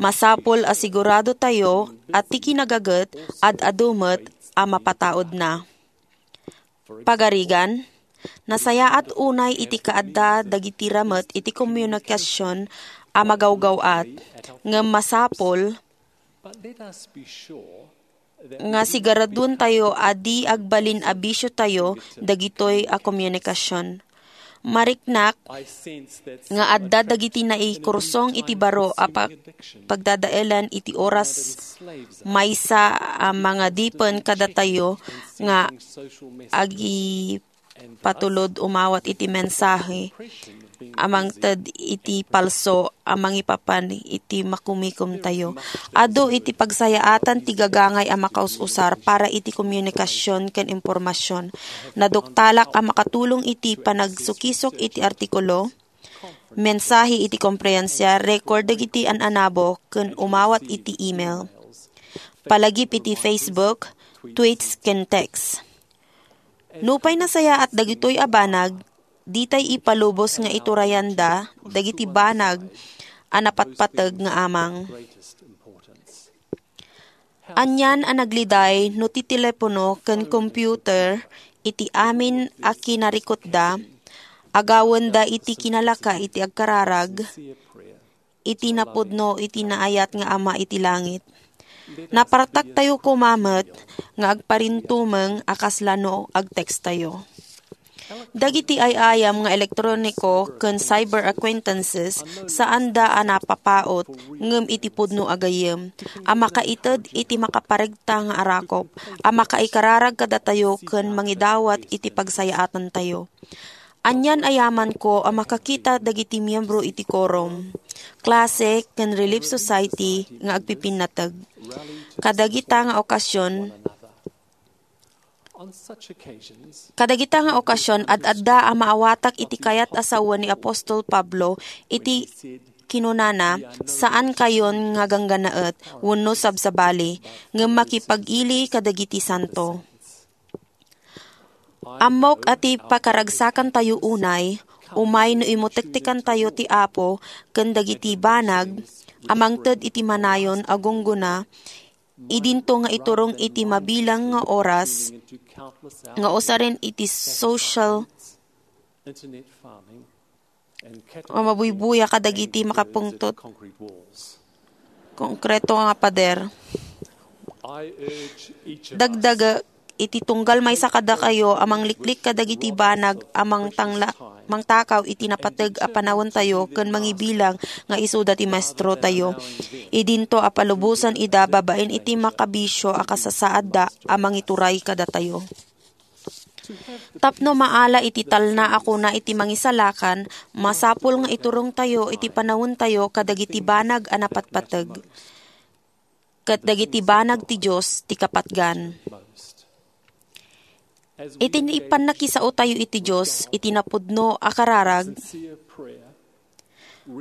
masapul a siguradotayo a ti kinagaget ad-adu met a mapataudna. Pagarigan, nasayaat unay iti kaadda dagiti ramet iti komunikasion a magawgaw-at, ngem masapul nga sigaraduentayo a di agbalin a bisiotayo dagitoy a komunikasion. Mariknak nga adda dagiti naikursong iti baro a pa-, pagdadaelan iti oras maysa a mangadipen kadatayo nga agi patulod umawat iti mensahe a mangted iti palso a mangipapan iti makumikomtayo. Adu iti pagsayaatan ti gagangay a makaus-usar para iti komunikasion ken impormasion. Naduktalak a makatulong iti panagsukisok iti artikulo, mensahe iti komperensia, record dagiti an-anabo, ken umawat iti email. Palagip iti Facebook, tweets, ken text. Nupay nasayaat dagitoy a banag, ditay ipalubos nga iturayanda dagiti banag a napatpateg nga amang. Anian a nagliday no ti telepono ken computer iti amin a kinarikutda, agawenda iti kinalaka iti agkararag, iti napudno iti naayat nga Ama iti langit. Napartaktayo koma met nga agparintumeng a kasla no agtekstayo. Dagiti ay-ayam nga elektroniko ken cyber acquaintances saanda a napapaut ngem iti pudno a gayyem a makaited iti makaparegta nga arakop a makaikararag kadatayo ken mangidawat iti pagsayaatantayo. Anian a yamanko a makakita dagiti miyembro iti quorum, klase, ken Relief Society nga agpipinnateg. Kadagita nga okasion, kadagita nga okasion, ad-adda a maawatak iti kayat a sawen ni Apostol Pablo iti kinunana, "Saankayon nga gangganaet wenno sabsabali, ngem makipag-ili kadagiti santo." Ammok a ti pakaragsakantayo unay, umay no imutektekantayo ti Apo ken dagiti banag a mangted iti manayon a gunggona, idinto nga iturong iti mabilang nga oras nga usaren iti social nga mabuybuya kadagiti makapungtot konkreto nga pader. Dagdag iti tunggal maysa kadakayo a mangliklik kadagiti banag a mangtangla-, mangtakaw iti napateg a panawentayo ken mangibilang nga isuda ti maestrotayo. Idinto a palubosan ida babaen iti makabisio a kasasaadda a mangituray kadatayo. Tapno maala iti talna a kuna iti Mangisalakan, masapul nga iturongtayo iti panawentayo kadagiti banag a napatpateg ket dagiti banag ti Dios ti kapatgan. Iti ni-, pannakisaotayo iti Dios iti napudno a kararag,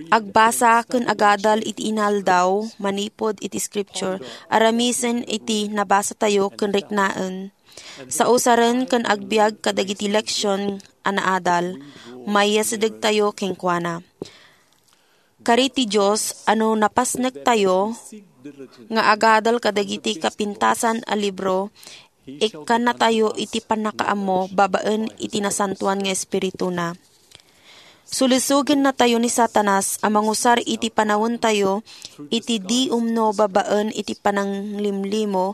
agbasa ken agadal iti inaldaw manipud iti Scripture, aramisen iti nabasatayo ken riknaen, sausaren ken agbiag kadagiti leksion a naadal, mayasidegtayo kenkuana. Kari ti Dios a no napasnektayo, nga agadal kadagiti kapintasan a libro, ikkannatayo iti pannakaammo babaen iti nasantoan nga Espirituna. Sulisogennatayo ni Satanas a mangusar iti panawentayo iti di umno babaen iti pananglimlimo,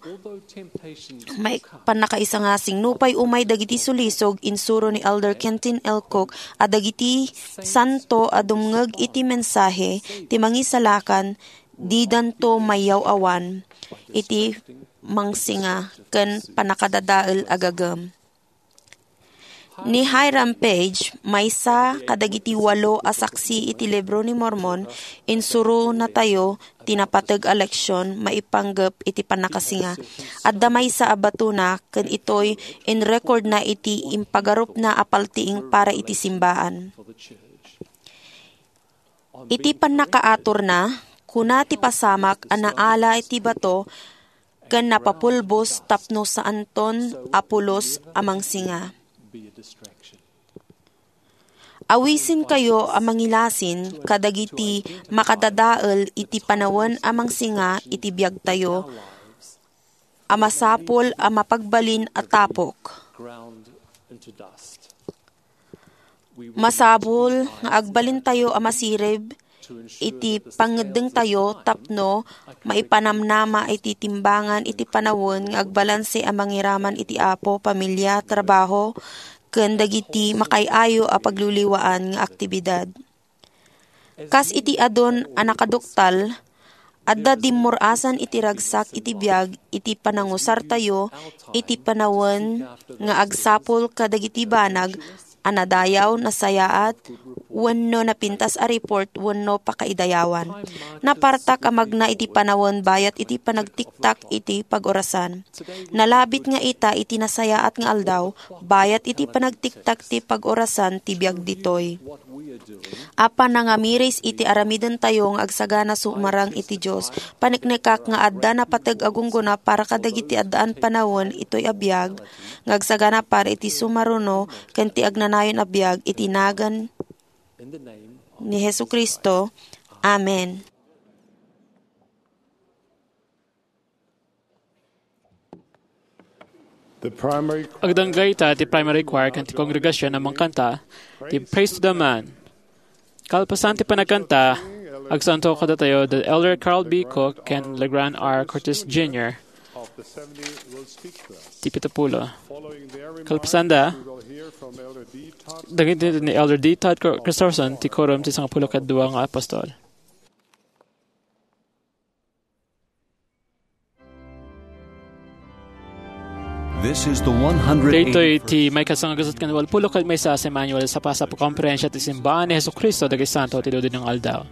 may pannakaisanga. Signupay umay dagiti sulisog, insuro ni Elder Kenton L. Cook a dagiti santo a dumngeg iti mensahe ti Mangisalakan didanto mayaw-awan iti mangsinga ken pannakadadael a gagem. Ni Hyrum Page, maysa kadagiti walo a saksi iti Libro ni Mormon, insuronatayo ti napateg a leksion maipanggep iti pannakasinga. Adda maysa a batona ken itoy inrekordna iti impagarupna a paltiing para iti simbaan. Iti pannakaaturna, kuna ti pasamak a naala iti bato ken napapulbos tapno saanton a pulos a mangsinga. Awisenkayo a mangilasin kadagiti makadadael iti panawen a mangsinga iti biagtayo a masapul a mapagbalin a tapok. Masapul nga agbalintayo a masirib iti pangngeddengtayo tapno maipanamnama iti timbangan iti panawen nga agbalanse a mangiraman iti Apo, pamilya, trabaho, ken dagiti makaay-ayo a pagliwliwaan nga aktibidad. Kas iti adun a nakaduktal, adda dimmur-asan iti ragsak iti biag iti panangusartayo iti panawen nga agsapul kadagiti banag a nadayaw, nasayaat, wenno napintas a report wenno pakaidayawan. Napartak a magna iti panawen bayat iti panagtiktak iti pag-orasan. Nalabit nga ita iti nasayaat nga aldaw, bayat iti panagtiktak ti pag-orasan ti biag ditoy. Apan nangamiris iti aramidentayo nga agsagana sumarang iti Dios. Paneknekak nga adda napateg a gunggona para kadagiti addaan panawen itoy a biag, nga agsagana para iti sumaruno ken ti agnanayon a biag iti nagan ni Jesu-Cristo. Amen. The primary choir Agdanggayta ti primary choir ken ti kongregasyon a mangkanta ti Praise to the Man. Kalpasan ti panagkanta, agsanto kadatayo da Elder Carl B. Cook ken Legrand R. Curtis Junior of the seventy will speak to us. Ti pitupulo. Following their remarks, Kalpasanda, we will hear from Elder D. Todd dagiti ni Elder D. Todd Cor-, Christofferson, ti Quorum ti Sangapulo ket Dua nga Apostol. This is the one hundred eighty-first. Daytoy ti maikasangagaset ken walpulo ket maysa a Semiannual Sapasap a Komperensia ti Simbaan ni Jesu-Cristo dagiti Santo ti Dudinong Aldaw.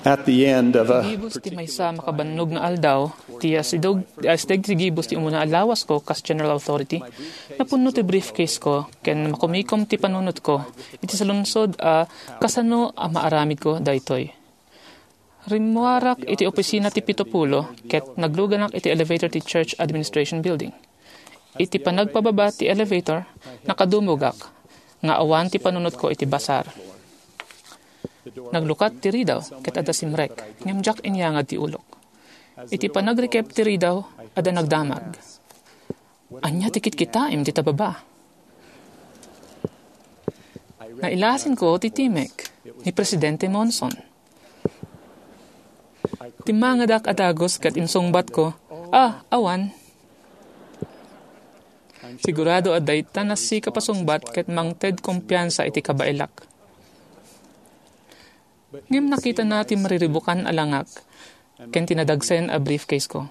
At the end of a Gibus ti maysa a makabannog nga aldaw, ti asideg, ti asideg ti gibus ti umuna a lawasko kas General Authority, napunno ti briefcase ko ken makumikom ti panunotko iti saludsod a kasano a maaramidko daytoy. Rimmuarak iti opisina ti pito pulo ket nagluganak iti elevator ti Church Administration Building. Iti panagpababa ti elevator, nakadumogak nga awan ti panunotko iti basar. Naglukat ti ridaw ket adda simrek, ngem diak inyangad ti ulok. Iti panagrikep ti ridaw, adda nagdamag. "Ania ti kitkitaem dita baba?" Nailasinko ti timek ni Presidente Monson. Timmangedak a dagus ket insungbatko, "Ah, awan." Sigurado a dayta nasika pasungbat ket mangted kumpiansa iti kabaelak. Ngem nakitana ti mariribukan a langak ken ti nadagsen a briefcase ko.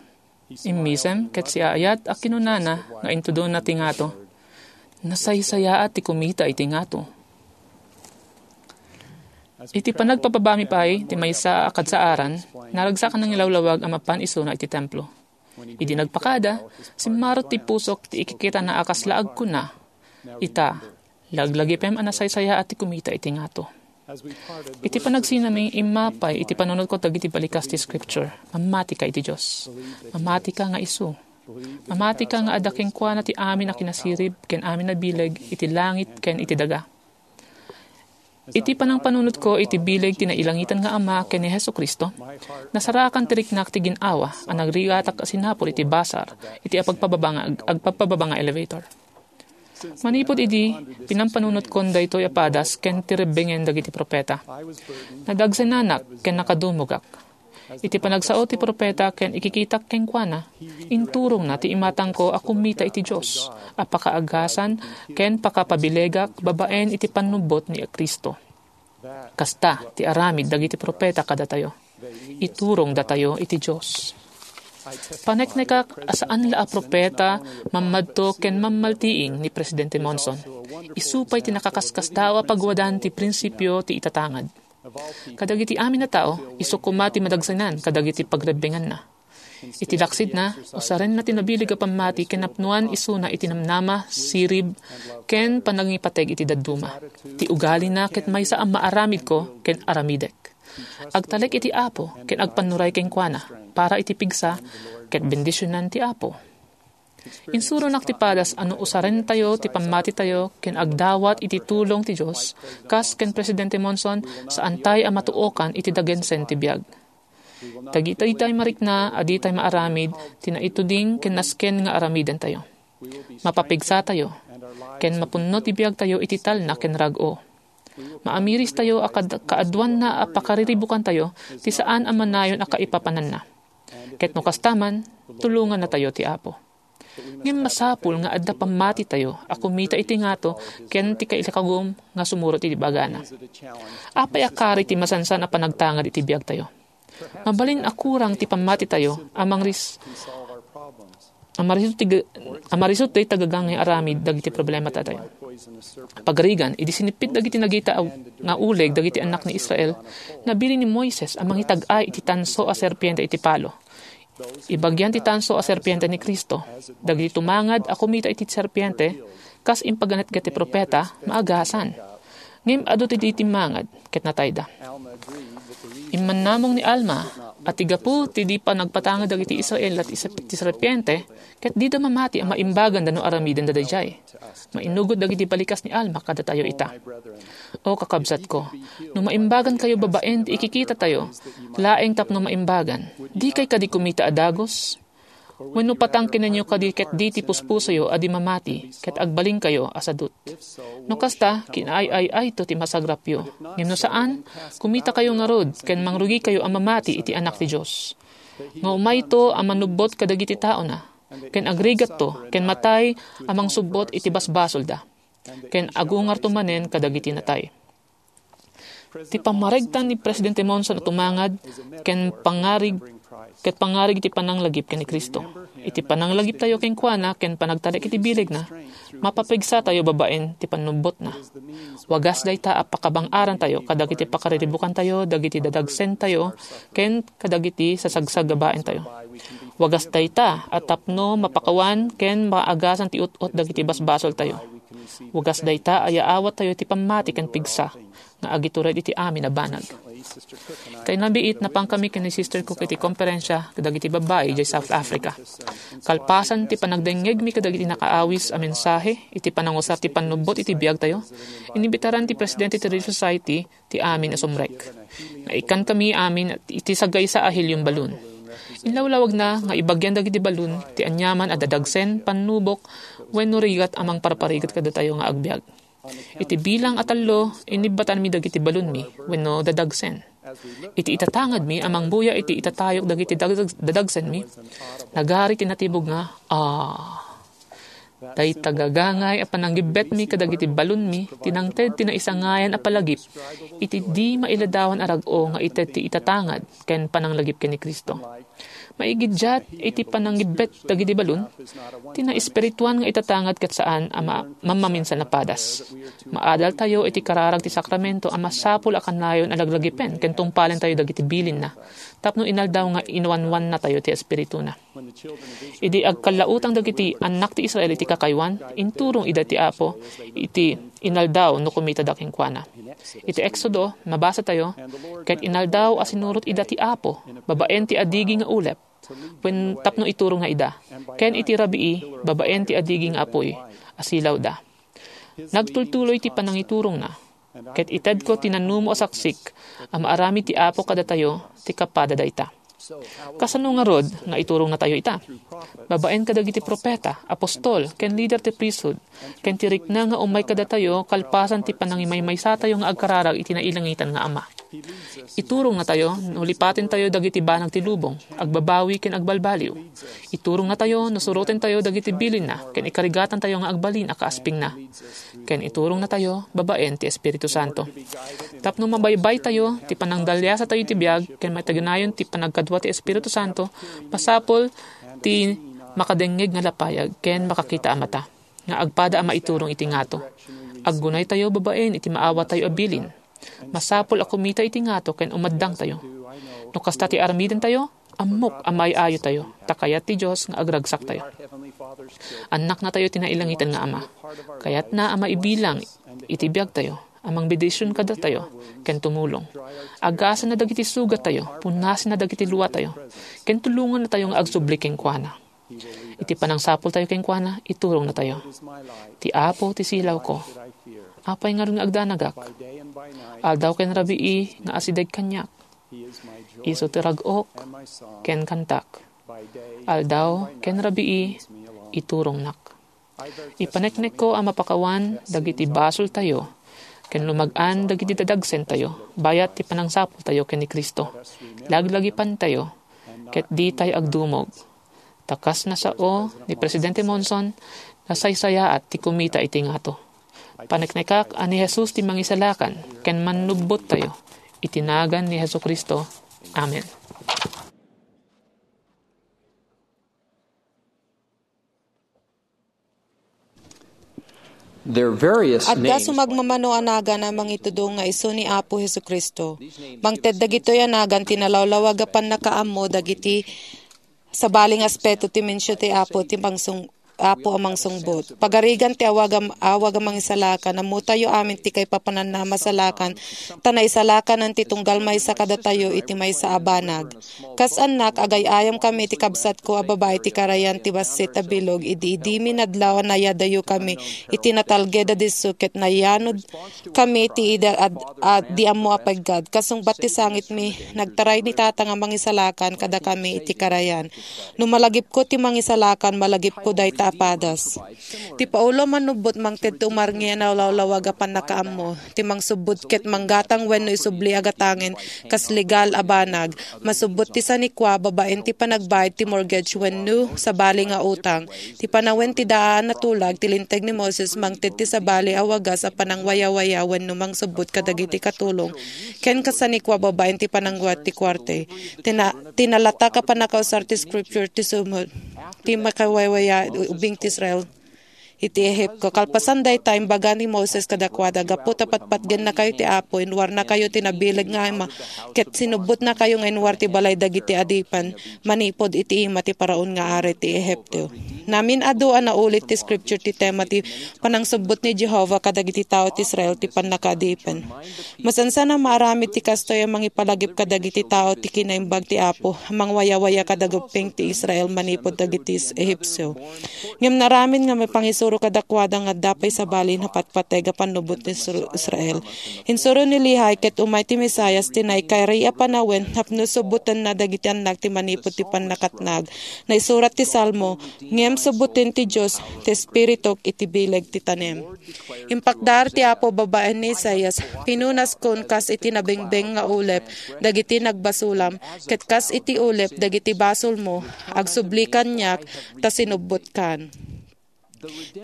Immisem ket siaayat a kinunana nga intudonna ti ngato. Nasaysayaat ti kumita iti ngato. Iti panagpababami pay ti maysa a kadsaaran, naragsakan nangilawlawag a mapan isuna iti templo. Idi nagpakada, simmarot ti pusok ti ikikitana a kasla agkuna, "Ita, laglagipem a nasaysayaat ti kumita iti ngato." Iti panagsinami, immapay iti panunotko dagiti balikas ti Scripture. Mamatika iti Dios. Mamatika nga isu. Mamatika nga adda kenkuana ti amin a kinasirib ken amin a bileg iti langit ken iti daga. Iti panangpanunotko iti bileg ti nailangitan nga Ama ken ni Jesu-Cristo, nasarakan ti riknak ti gin-awa a nagrigatak a sinapul iti basar iti apagpababa nga, agpagpababa nga elevator. Manipud idi, pinampanunotko daytoy a padas ken ti rebbengen dagiti profeta. Nadagsenanak ken nakadumogak. Iti panagsao ti profeta ken ikikitak kenkuana, inturongna ti imatangko a kumita iti Dios a pakaagasan ken pakapabilegak babaen iti pannubbot ni Cristo. Kasta ti aramid dagiti profeta kadatayo. Iturongdatayo iti Dios. Paneknekak a saan la a profeta, mammadto ken mammaltiing ni Presidente Monson. Isu pay ti nakaskasdaaw a pagwadan ti prinsipio ti itatangad. Kadagiti amin a tao, isu koma ti madagsenan kadagiti pagrebbenganna. Iti laksidna, usarenna ti nabileg a pammati ken napnoan isuna iti namnama, sirib, ken panangipateg iti dadduma. Ti ugalina ket maysa a maaramidko ken aramidek. Agtalek iti Apo ken agpannuray kenkuana para iti pigsa ket bendisionan ti Apo. Insuronak ti padas a no usarentayo ti pammatitayo ken agdawat iti tulong ti Dios, kas ken Presidente Monson, saantay a matuokan iti dagensen ti biag. Dagiti tay marikna a ditay maaramid ti naituding ken nasken nga aramidentayo. Mapapigsatayo, ken mapunno ti biagtayo iti talna ken rag-o. Maamirista a kad-, kaaduanna a pakariribukantayo ti saan a manayon a kaipapananna. Ket no kasta man, tulongannatayo ti Apo. Ngem masapul nga adda pammatitayo a kumita iti ngato ken ti kaikagum nga sumurot iti bagana. Apay a kari ti masansan a panagtangad iti biagtayo? Mabalin a kurang ti pammatitayo a mangris-, a marisut ti ga-, a marisut dayta gaga nga aramid dagiti problematayo. Pagarigan, idi sinippit dagiti nagita a, nga uleg dagiti annak ni Israel, nabilin ni Moises a mangitag-ay iti tanso a serpiente iti palo. Ibagian ti tanso a serpiente ni Cristo. Dagiti tumangad a kumita iti serpiente, kas impaganetget ti profeta, maagasan. Ngem adu ti di timmangad, ket natayda. Immannamong ni Alma, a ti gapu ti di panagpatangad dagiti Israel ti sep-, ti serpiente, ket dida mamati a maimbaganda no aramidenda daydiay. Mainugot dagiti balikas ni Alma kadatayo ita. O kakabsatko, no maimbagankayo babaen ti ikikitatayo, laeng tapno maimbagan, dikay kadi kumita a dagus? Wenno patang kenenyo kadi ket di ti puspusoyo a di mamati ket agbalinkayo a sadut? No kasta, kinaay-ay-ayto ti masagrapyo. Ngem no saan, kumitakayo ngarud ken mangrugikayo a mamati iti Anak ti Dios. Nga umayto a manubbot kadagiti taona, ken agrigatto, ken matay a mangsubbot iti basbasolda, ken agungarto manen kadagiti natay. Ti pammaregtan ni Presidente Monson a tumangad ken pangarig-, ket pangarig ti pananglagip ken ni Cristo. Iti pananglagiptayo kenkuana ken panagtalek iti bilegna, mapapigsatayo babaen ti pannubbotna. Wagas dayta a pakabang-arantayo kadagiti pakariribbukantayo dagiti dadagsentayo ken kadagiti sasagsagabaentayo. Wagas dayta a tapno mapakawan ken maagasan ti ut-ot dagiti basbasoltayo. Wagas dayta a yaawattayo ti pammati ken pigsa nga agitured iti amin a banag. Kaynabiit, napankami ken ni Sister Cook iti komperensia kadagiti babbai idiay South Africa. Kalpasan ti panagdengngegmi kadagiti nakaawis a mensahe iti panangusar ti pannubbot iti biagtayo, inimbitaran ti presidente ti Relief Society ti amin a sumrek. Naikkankami amin iti sagaysa a helium balloon. Inlawlawagna nga ibagian dagiti balloon ti aniaman a dadagsen, pannubok, wenno rigat a mangparparigat kadatayo nga agbiag. Iti bilang a tallo, inibbatanmi dagiti balloonmi wenno dadagsen. Iti itatangedmi a mangbuya iti itatayok dagiti dadag-, dadagsenmi, nagari ti natibog nga, "Ah!" Dayta gagangay a pananggibbetmi kadagiti balloonmi ti nangted ti naisangayan a palagip iti di mailadawan a rag-o nga ited ti itatanged ken pananglagip ken ni Cristo. Maigiddiat iti pananggibbet dagiti balloon, ti naespirituan nga itatanged ket saan a ma-, mammaminsan a padas. Maadaltayo iti kararag ti sakramento a masapul a kanayon a laglagipen ken tungpalentayo dagiti bilinna tapno inaldaw nga inawanwannatayo ti Espirituna. Idi agkallautang dagiti annak ti Israel iti kakaywan, inturong ida ti Apo iti inaldaw no kumitada kenkuana. Iti Exodo, mabasatayo, "Ket inaldaw a sinurot ida ti Apo babaen ti adigi nga ulep, wen tapno iturongna ida, ken iti rabii babaen ti adigi nga apuy a silawda. Nagtultuloy ti panangiturongna, ket itedko ti nanumo a saksik a maaramid ti Apo kadatayo ti kapada dayta." Kasano ngarud nga iturongnatayo ita? Babaen kadagiti propeta, apostol, ken lider ti priesthood, ken ti rikna nga umay kadatayo kalpasan ti panangimaymaysatayo nga agkararag iti nailangitan nga Ama. Iturongnatayo no lipatentayo dagiti banag ti lubong, agbabawi ken agbalbaliw. Iturongnatayo no surotentayo dagiti bilinna ken ikarigatantayo nga agbalin a kaaspingna. Ken iturongnatayo babaen ti Espiritu Santo. Tapno mabaybaytayo ti panangdaliasatayo iti biag ken maitaginayon ti panagkadua ti Espiritu Santo, masapul ti makadengngeg nga lapayag ken makakita a mata nga agpada a maiturong iti ngato. Aggunaytayo babaen iti maawatayo a bilin. Masapul a kumita iti ngato ken umaddangtayo. No kasta ti aramidentayo, ammok a maay-ayotayo, ta kayat ti Dios nga agragsaktayo. Annaknatayo ti nailangitan nga Ama. Kayatna a maibilang iti biagtayo, a mangbendision kadatayo, ken tumulong. Agasanna dagiti sugattayo, punasenna dagiti luatayo, ken tulongannatayo nga agsubli kenkuana. Iti panangsapultayo kenkuana, iturongnatayo. Ti Apo ti silawko. Apay ngarud nga agdanagak? Aldaw ken rabii nga asideg kaniak. Isu ti rag-ok ken kantak. Aldaw ken rabii, iturongnak. Ipaneknekko a mapakawan dagiti basoltayo ken lumag-an dagiti dadagsentayo bayat ti panangsapultayo ken ni Cristo. Laglagipantayo ket ditay agdumog. Ta kas nasao ni Presidente Monson, nasaysayaat ti kumita iti ngato. Paneknekak a ni Jesus ti Mangisalakan ken Mannubbottayo. Iti nagan ni Jesu-Cristo. Amen. There are various Adda names sumagmamano a nagan a mangitudong nga isu ni Apo Jesu-Cristo. Mangted dagitoy a nagan ti nalawlawag a pannakaammo dagiti sabali nga aspeto ti mensio ti Apo ti pangsung-, Apo a mangsungbot. Pagarigan ti awag a, awag a mangisalakan, ammotayo amin ti kaipapananna a masalakan, ta naisalakanen ti tunggal maysa kadatayo iti maysa a banag. Kas annak, agay-ayamkami iti kabsatko a babai ti karayan ti bassit a bilog idi, idi minadlaw a nayadayokami iti natalged a disso ket nayanodkami iti ida a, a di ammo a peggad. Kasungbat ti sangitmi, nagtaray ni Tata nga mangisalakan kadakami iti karayan. No malagipko ti mangisalakan, malagipko dayta a padas. Ti Paolo a manubbot mangted ti umarngi a nalawlawag a pannakaammo. Ti mangsubbot ket manggatang wenno isubli a gatangen kas legal a banag. Masubbot ti sanikua babaen ti panagbayad ti mortgage wenno sabali nga utang. Ti panawen ti daan a tulag ti Linteg ni Moses mangted ti sabali a wagas a panangwayawaya wenno mangsubbot kadagiti katulong ken kasanikua babaen ti panangguad ti kuarte. Tina-, tinalatak a pannakausar ti Scripture ti sumud ti makawayawaya ubing ti Israel iti Ehipto. Kalpasan dayta, imbaga ni Moses kadakuada, "Gapu ta patpatgennakayo ti Apo, inwarnakayo ti nabileg nga ima, ket sinubbotnakayo nga inwar ti balay dagiti adipen manipud iti ima ti Faraon nga ari ti Ehipto." Namin-adu a naulit ti Scripture ti tema ti panangsubbot ni Jehovah kadagiti tao ti Israel ti pannakaadipen. Masansan a maaramid ti kastoy a mangipalagip kadagiti tao ti kinaimbag ti Apo, mangwayawaya kada gupping ti Israel manipud dagiti Ehipsio. Ngem naaramid nga maipangisuro kadakuada nga adda pay sabali napatpateg a pannubot ni Isra-, Israel. Insuro ni Lehi ket umay ti Mesias ti naikari a panawen tapno subbotenna dagiti annak ti manipud ti pannakatnag. Naisurat ti Salmo, "Ngem subboten ti Dios ti espirituk iti bileg ti tanem." Impakdar ti Apo babaen ni Isaias, "Pinunaskon kas iti nabengbeng nga ulep dagiti nagbasolam, ket kas iti ulep dagiti basolmo, agsubli kaniak ta sinubbotkan."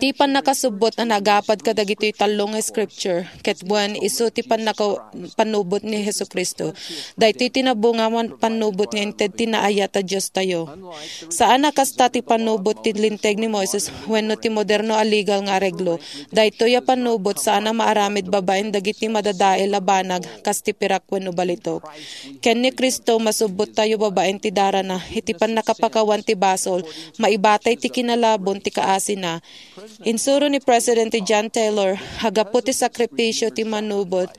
Ti pannakasubbot a nagapad kadagitoy tallo nga scripture, ket wen isu ti pannaka-, pannubot ni Jesu-Cristo. Daytoy ti nabunga wen pannubot nga inted ti naayat a Diostayo. Saan a kasta ti pannubot ti Linteg ni Moises wenno ti moderno a legal nga areglo. Daytoy a pannubot saan a maaramid babaen dagiti madadael a banag kas ti pirak wenno balitok. Ken ni Cristo, masubbottayo babaen ti darana iti pannakapakawan ti basol, maibatay ti kinalabon ti kaasina. Insuro ni Presidente John Taylor, a gapu ti sakripisio ti manubot,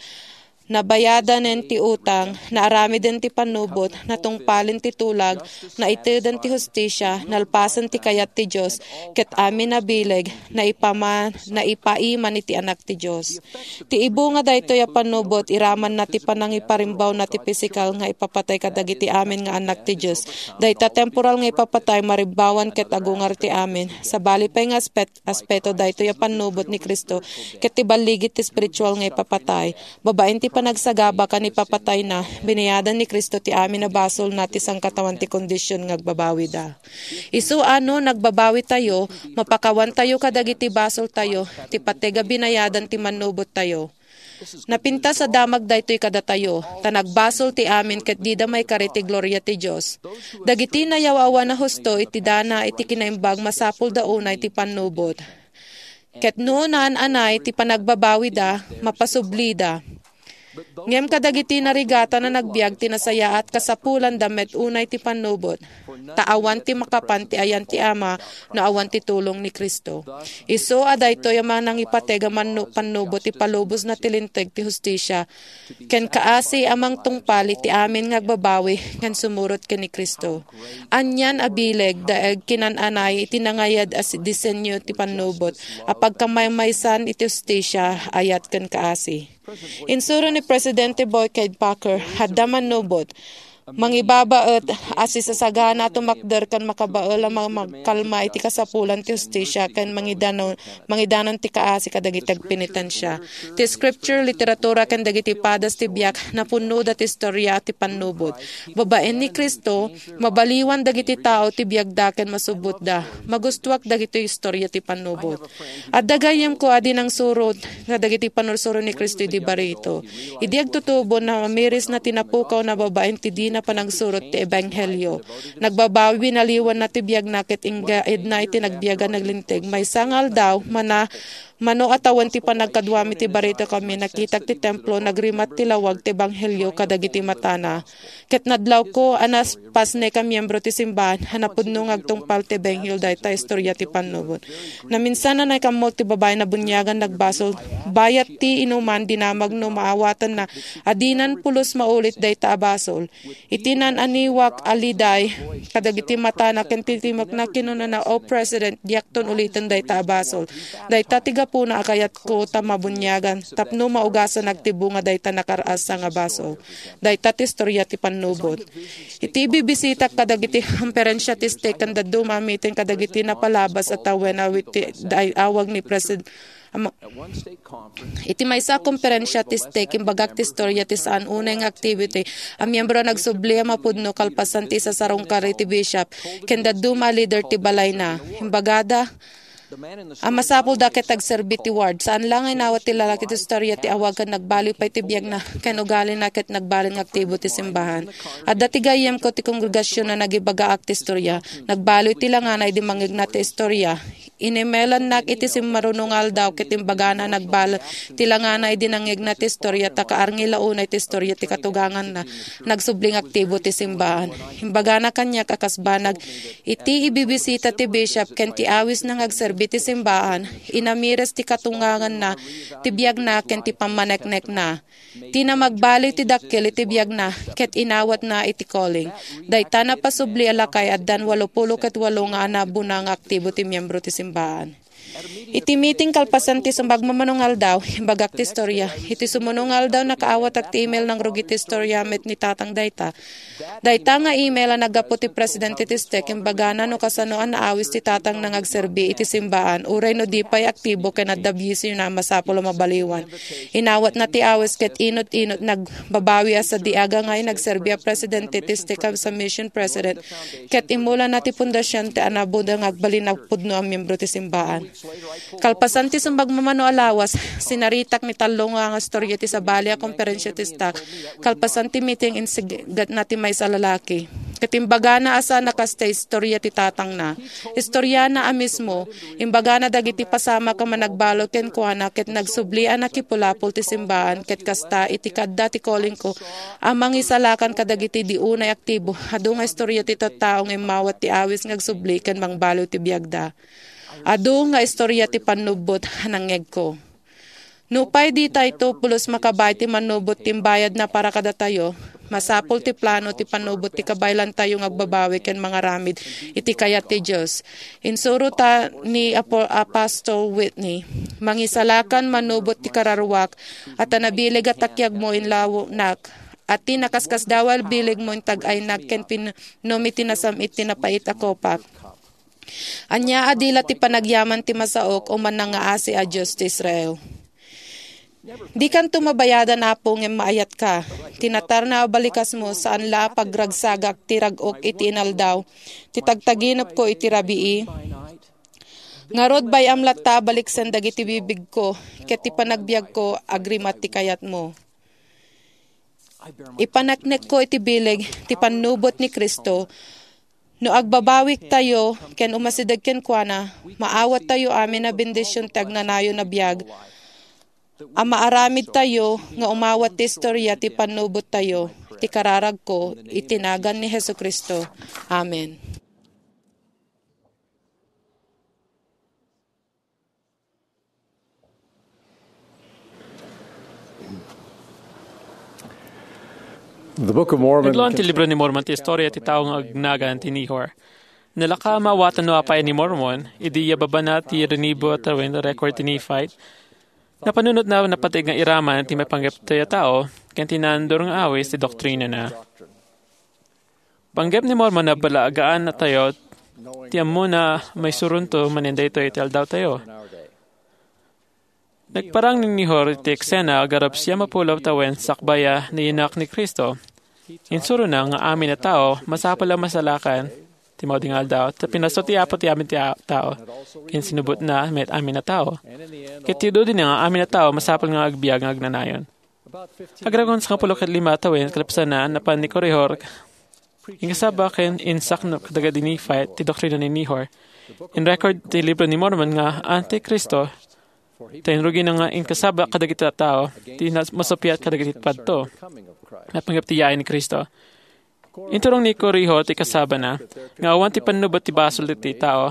nabayadanen ti utang, naaramiden ti pannubot, natungpalen ti tulag, naiteden ti hustisia, nalpasen ti kayat ti Dios, ket amin a bileg, naipama-, naipaiman iti Anak ti Dios. Ti ibunga daytoy a pannubot, iramanna ti panangiparimbawna ti pisikal nga ipapatay kadagiti amin nga anak ti Dios. Dayta temporal nga ipapatay, marimbawan ket agungar ti amin. Sabali pay nga aspet-, aspeto daytoy a pannubot ni Cristo, ket ti balligi ti espiritual nga ipapatay. Babaen ti panagsagaba ken ipapatayna, binayadan ni Cristo ti amin a basolna ti sangkataoan ti kondision nga agbabawida. Isu a no nagbabawitayo, mapakawantayo kadagiti basoltayo, ti pateg a binayadan ti mannubottayo. Napintas a damag daytoy kadatayo, ta nagbasol ti amin ket dida maikari ti gloria ti Dios. Dagiti nayaw-awan a husto iti dana iti kinaimbag masapulda unay ti pannubot. Ket no naan-anay ti panagbabawida, mapasublida. Ngem kadagiti narigatan a nagbiag ti nasayaat, kasapulanda met unay ti pannubot, ta awan ti makapan ti ayan ti Ama no awan ti tulong ni Cristo. Isu a daytoy a manangipateg a mannu-, pannubot ti palubosna ti Linteg ti hustisia, ken kaasi a mangtungpal iti amin nga agbabawi ken sumurot ken ni Cristo. Anian a bileg, daeg, kinan-anay iti nangayad a si-, disenyo ti pannubot a pagkamaymaysan iti hustisia, ayat ken kaasi. Insuro ni Presidente Boyd K. Packer, adda mannubot, mangibabaet a sisasagana a tumakder ken makabael a ma-, magkalma iti kasapulan ti hustisia ken mangidanon, mangidanon ti kaasi kadagiti agpenitensia. Ti scripture, literatura, ken dagiti padas ti biag, napunnoda ti istoria ti pannubot. Babaen ni Cristo, mabaliwan dagiti tao ti biagda ken masubbotda. Magustuak dagitoy istoria ti pannubot. Adda gayyemko a di nangsurot nga dagiti pannursuro ni Cristo idi barito. Idi agtutubo, namirisna ti napukawna babaen ti dina panagsurot ti ebanghelio. Nagbabawi, binaliwanna ti biagna ket inggaedna iti nagbiag a naglinteg. Maysa nga aldaw, mana-, mano a tawen ti panagkaduami ti barito kami, nakitak ti templo, nagrimat ti lawag ti ebanghelio kadagiti matana. Ket nadlawko a napasnek a miembro ti simbahan a napudno nga agtungpal ti ebanghelio dayta istoria ti pannubot. Naminsan a naikammok ti babaen a buniagan nagbasol, Bayat ti inuman, dinamagna no maawatanna a dinan pulos maulit dayta a basol. Iti naan-aniwak a liday kadagiti matana ken titimekna, kinunana, "O President, diakton uliten dayta a basol. Dayta ti gapuna a kayatko ta mabuniagan tapno maugasan agtibonga dayta nakar-asa nga basol." Dayta ti istorya ti pannubot. Iti bibisitak kadagiti konferensia ti stake ken dadduma a meeting kadagiti napalabas a tawen a iti awag ni President Ama-, iti maysa a konferensia ti stake, imbagak ti istorya ti saan unay nga activity a miyembro a nagsubli a mapudno kalpasan ti isasarungkar iti bishop ken dadduma a leader ti balayna. Imbagada a masapulda ket agserbi ti ward. Saan la nga inawat ti lalaki ti istorya ti awag ken nagbaliw pay ti biagna ken ugalina ket nagbalin nga aktibo ti simbahan. Adda ti gayyemko ti kongregasionna a nagibaga ti istorya. Nagbaliw ti langana idi mangngegna ti istorya. Inimelannak iti simmaruno nga aldaw ket imbagana a nagbaliw ti langana idi nangngegna ti istorya ta kaarngi la unay ti istorya ti katuganganna. Nagsubli nga aktibo ti simbahan. Imbagana kaniak a kas banag iti ibibisita ti bishop ken ti awisna nga agserbi ti simbahan, inamires ti katuganganna, ti biagna ken ti pammaneknekna. Ti namagbaliw ti dakkel iti biagna ket inawatna iti calling. Dayta napasubli a lakay, addan walopulo ket walo nga anabona nga aktibo ti miyembro ti simbahan. Iti meeting kalpasan ti sumagmamano nga aldaw, imbagak ti istorya. Iti sumuno nga aldaw, nakaawatak ti email nangrugi ti istorya met ni tatang dayta. Dayta nga email a naggapu ti presidente ti stake, imbagana no kasano a naawis ti tatangna nga agserbi iti simbaan, uray no di pay aktibo ken adda bisio a masapul a mabaliwan. Inawatna ti awis ket inut-inut nagbabawi a sadiaga nga nagserbi a presidente ti stake a mission president ket immulana ti pundasion ti anabona nga agbalin a pudno a miyembro ti simbaan. Kalpasan ti sumagmamano a lawas, sinaritak ni tallo nga, nga istorya ti sabali a konferensya ti stake. Kalpasan ti meeting, insigatna ti maysa a lalaki. Ket imbagana a saan a kasta istorya ti tatangna. Istoryana a mismo, imbagana dagiti pasamak a managbalud kenkuana ket nagsubli a nakipulapol ti simbaan ket kasta iti kaadda ti callingko a mangisalakan kadagiti di unay aktibo. Adu nga istorya ti tattao nga immawat ti awis nga agsubli ken mangbaliw ti biagda. Adu nga istorya ti pannubbot a nangngegko. Nupay ditayto pulos makabain ti mannubot ti imbayadna para kadatayo, masapul ti plano ti pannubot ti kabaelantayo nga agbabawi ken mangaramid iti kayat ti Dios. Insurota ni Apo-, Apostle Whitney, "Mangisalakan mannubot ti kararuak, a ta nabileg a takiagmo inlawnak, a ti nakaskasdaaw a bilegmo intag-aynak ken pinnom iti nasam-it ti napait a kopak." Ania a di la ti panagyaman ti masaok o mannangaasi a Dios ti Israel? Dikanto mabayadan, Apo, ngem maayatka. Ti natarna a balikasmo, saan la a pagragsagak ti rag-ok iti inaldaw, ti tagtaginepko iti rabii. Ngarud, bay-am latta a baliksen dagiti bibigko, ket ti panagbiagko, agrimat ti kayatmo. Ipaneknekko iti bileg ti pannubot ni Cristo. No agbabawiktayo ken umasideg kenkuana, maawattayo amin a bendision ti agnanayon a biag a maaramidtayo nga umawat ti istorya ti pannubottayo. Ti kararagko iti nagan ni Jesu-Cristo. Amen. The Book of Mormon Naglaon ti Libro ni Mormon ti istorya ti tao nga agnagan ti Nehor. Nalaka a maawatan no apay ni Mormon, idi iya babana ti rinibo a tawen record ti Nephite. Napanunotna a napateg nga iraman ti maipanggep ti tao, ken ti naandur nga awis ti doktrinana. Panggep ni Mormon a balagaan a tayo ti ammona a maisuronto manen daytoy iti aldawtayo. Nagparang ni Nehor iti eksena, garup siam a pulo tawen sakbay a nayanak ni Cristo. Insurona nga amin a tao masapul a masalakan ti maudi nga aldaw, ta pinasno ti Apo ti amin ti a-, tao, ken sinubotna met amin a tao. Ket ti dudina nga amin a tao masapul nga agbiag nga agnanayon. Agragon sangapulo ket lima tawen kalpasanna, napan ni Korihor inkasaba ken insaknop kadagiti Nephite ti doktrina ni Nehor. In-record ti Libro ni Mormon nga Anti-Cristo, ta inrugina nga inkasaba kadagiti tattao ti nas-, masuppiat kadagiti padto. Napanggep ti yaay ni Cristo. Inturong ni Korihor ti kasabana nga awan ti pannubot ti basol ti tao.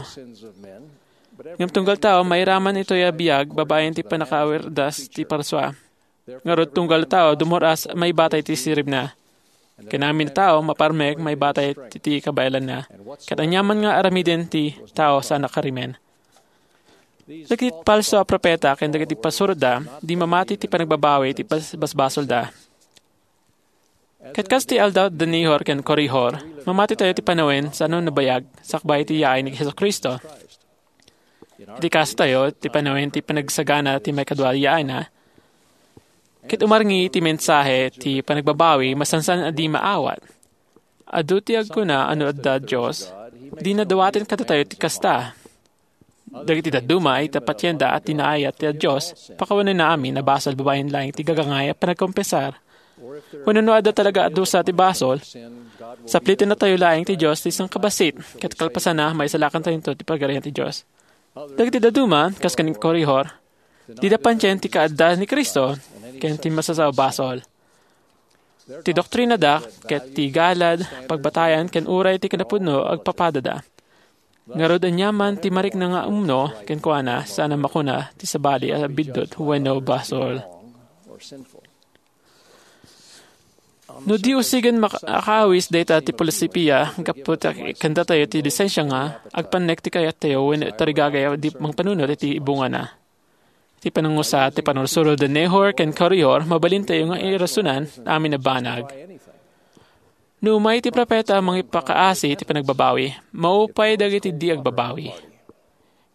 Ngem tunggal tao, mairaman itoy a biag babaen ti pannakaawirdas ti parsua. Ngarud, tunggal tao, dumur-as maibatay ti siribna. Ken amin a tao, maparmek maibatay ti, ti kabaelanna. Ket aniaman nga aramiden ti tao saan a karimen. Dagiti falso a propeta ken dagiti pasurotda, di mamati ti panagbabawi ti bas-, basbasolda. Ket kas ti aldaw da Nehor ken Korihor, mamati tayo ti panawen saan a nabayag sakbay ti yaay ni Jesu-Cristo. Iti kaso tayo, ti panawen ti panagsagana ti maikadua a yaayna, ket umarngi ti mensahe ti panagbabawi, masansan a di maawat. Adu ti agkuna a no adda Dios, dina dawaten kadatayo ti kasta. Dagiti dadduma ita patienda a ti naayat ti Dios, pakawanenna amin a basol babaen laeng ti gagangay a panagkonfesar. Wenno no adda talaga a dusa ti basol, saplitennatayo laeng ti Dios ti sangkabassit, ket kalpasanna, maisalakantayo ti Pagarian ti Dios. Dagiti dadduma, kas ken Korihor, dida pantien ti kaadda ni Cristo ken ti masasao a basol. Ti doktrinada ket ti galad pagbatayan ken uray ti kinapudno agpapadada. Ngarud, aniaman ti marikna nga umno kenkuana, saan a makuna ti sabali a biddut wenno basol. No di usigen mak-, akaawis dayta ti filosofia, gapu ta kandatayo ti lisensia nga agpannek ti kayattayo wenno tarigagay a di mangpanunot iti bungana. Ti panangusa ti panursurod da Nehor ken Korihor, mabalintayo nga irasonan amin a banag. No umay ti propeta a mangipakaasi ti panagbabawi, maupay dagiti di agbabawi.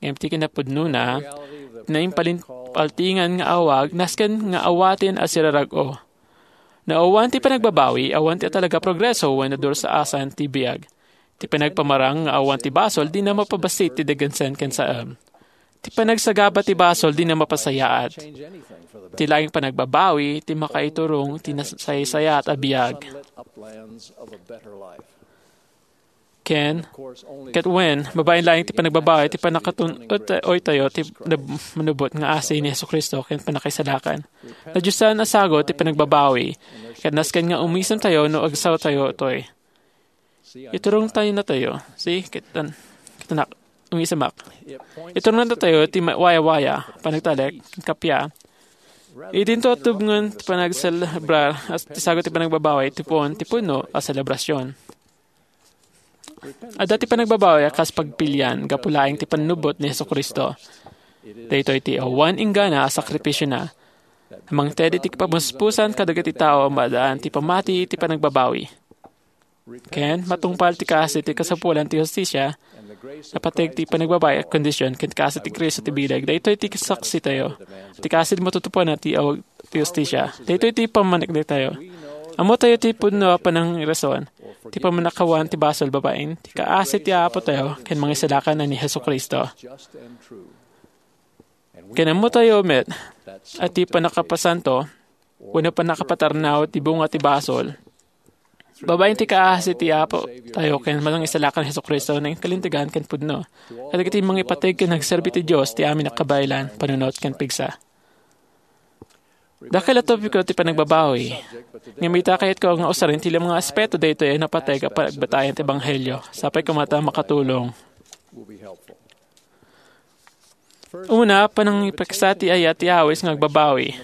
Ngem ti kinapudnona, ti naimpalin-, paltingan nga awag, nasken nga awaten a sirarag-o. No awan ti panagbabawi, awan ti talaga progreso wenno dursaasan ti biag. Ti panagpamarang nga awan ti basol, dina mapabassit ti dagansen ken saem. Ti panagsagaba ti basol, dina mapasayaat. Ti laeng panagbabawi, ti makaiturong ti nasaysayaat a biag. Ken, ket wen, babaen laeng ti panagbabawi, ti pannakatun-, ut-, oy tayo, ti nab-, manubot nga asi ni Jesu-Cristo, ken pannakaisalakan. Nadiosan a sagut ti panagbabawi, ket nasken nga umisem tayo no agsaw tayo toy. Iturong tayo na tayo. See, kitan, kitanak, umisemak. Iturong na tayo ti ma-, waya-waya, panagtalek, kappia. Idinto tubngen ti panagselebrar, as ti sagut ti panagbabawi, ti puon, ti puno a selebrasyon. Adda ti panagbabawi a kas pagpilian, gapu laeng ti pannubot ni Jesu-Cristo. Daytoy ti awan inggana a sakripisiona. Mangted iti kamuspusan kadagiti tao a maadaan ti pamati iti panagbabawi. Ken, matungpal ti kaasi ti kasapulan ti hustisia, napateg ti panagbabawi a kondisyon ken kaasi ti Cristo ti bileg. Daytoy ti saksi tayo. Ti kaasi ti matutuparan ti awag ti hustisia. Daytoy ti pammanik daytayo. Ammo tayo ti pudno a panangirason, ti pammanakawan ti basol babaen ti kaasi ti Apo tayo ken Mangisalakan a ni Jesu-Cristo. Ken ammo tayo met a ti pannakapasanto wenno pannakapatarnaw ti bunga ti basol. Babaen ti kaasi ti Apo tayo ken Mangisalakan Jesu-Cristo, nangikalintegan ken pudno. Kadagiti mangipateg ken nagserbi ti Dios ti amin a kabaelan, panunot ken pigsa. Dakkel a topiko ti panagbabawi. Ngem ita, kayatko nga usaren ti lima nga aspeto daytoy a napateg a pagbatayan ti ebanghelio. Sapay koma ta makatulong. Una, panangipigsa ti ayat ti awis nga agbabawi.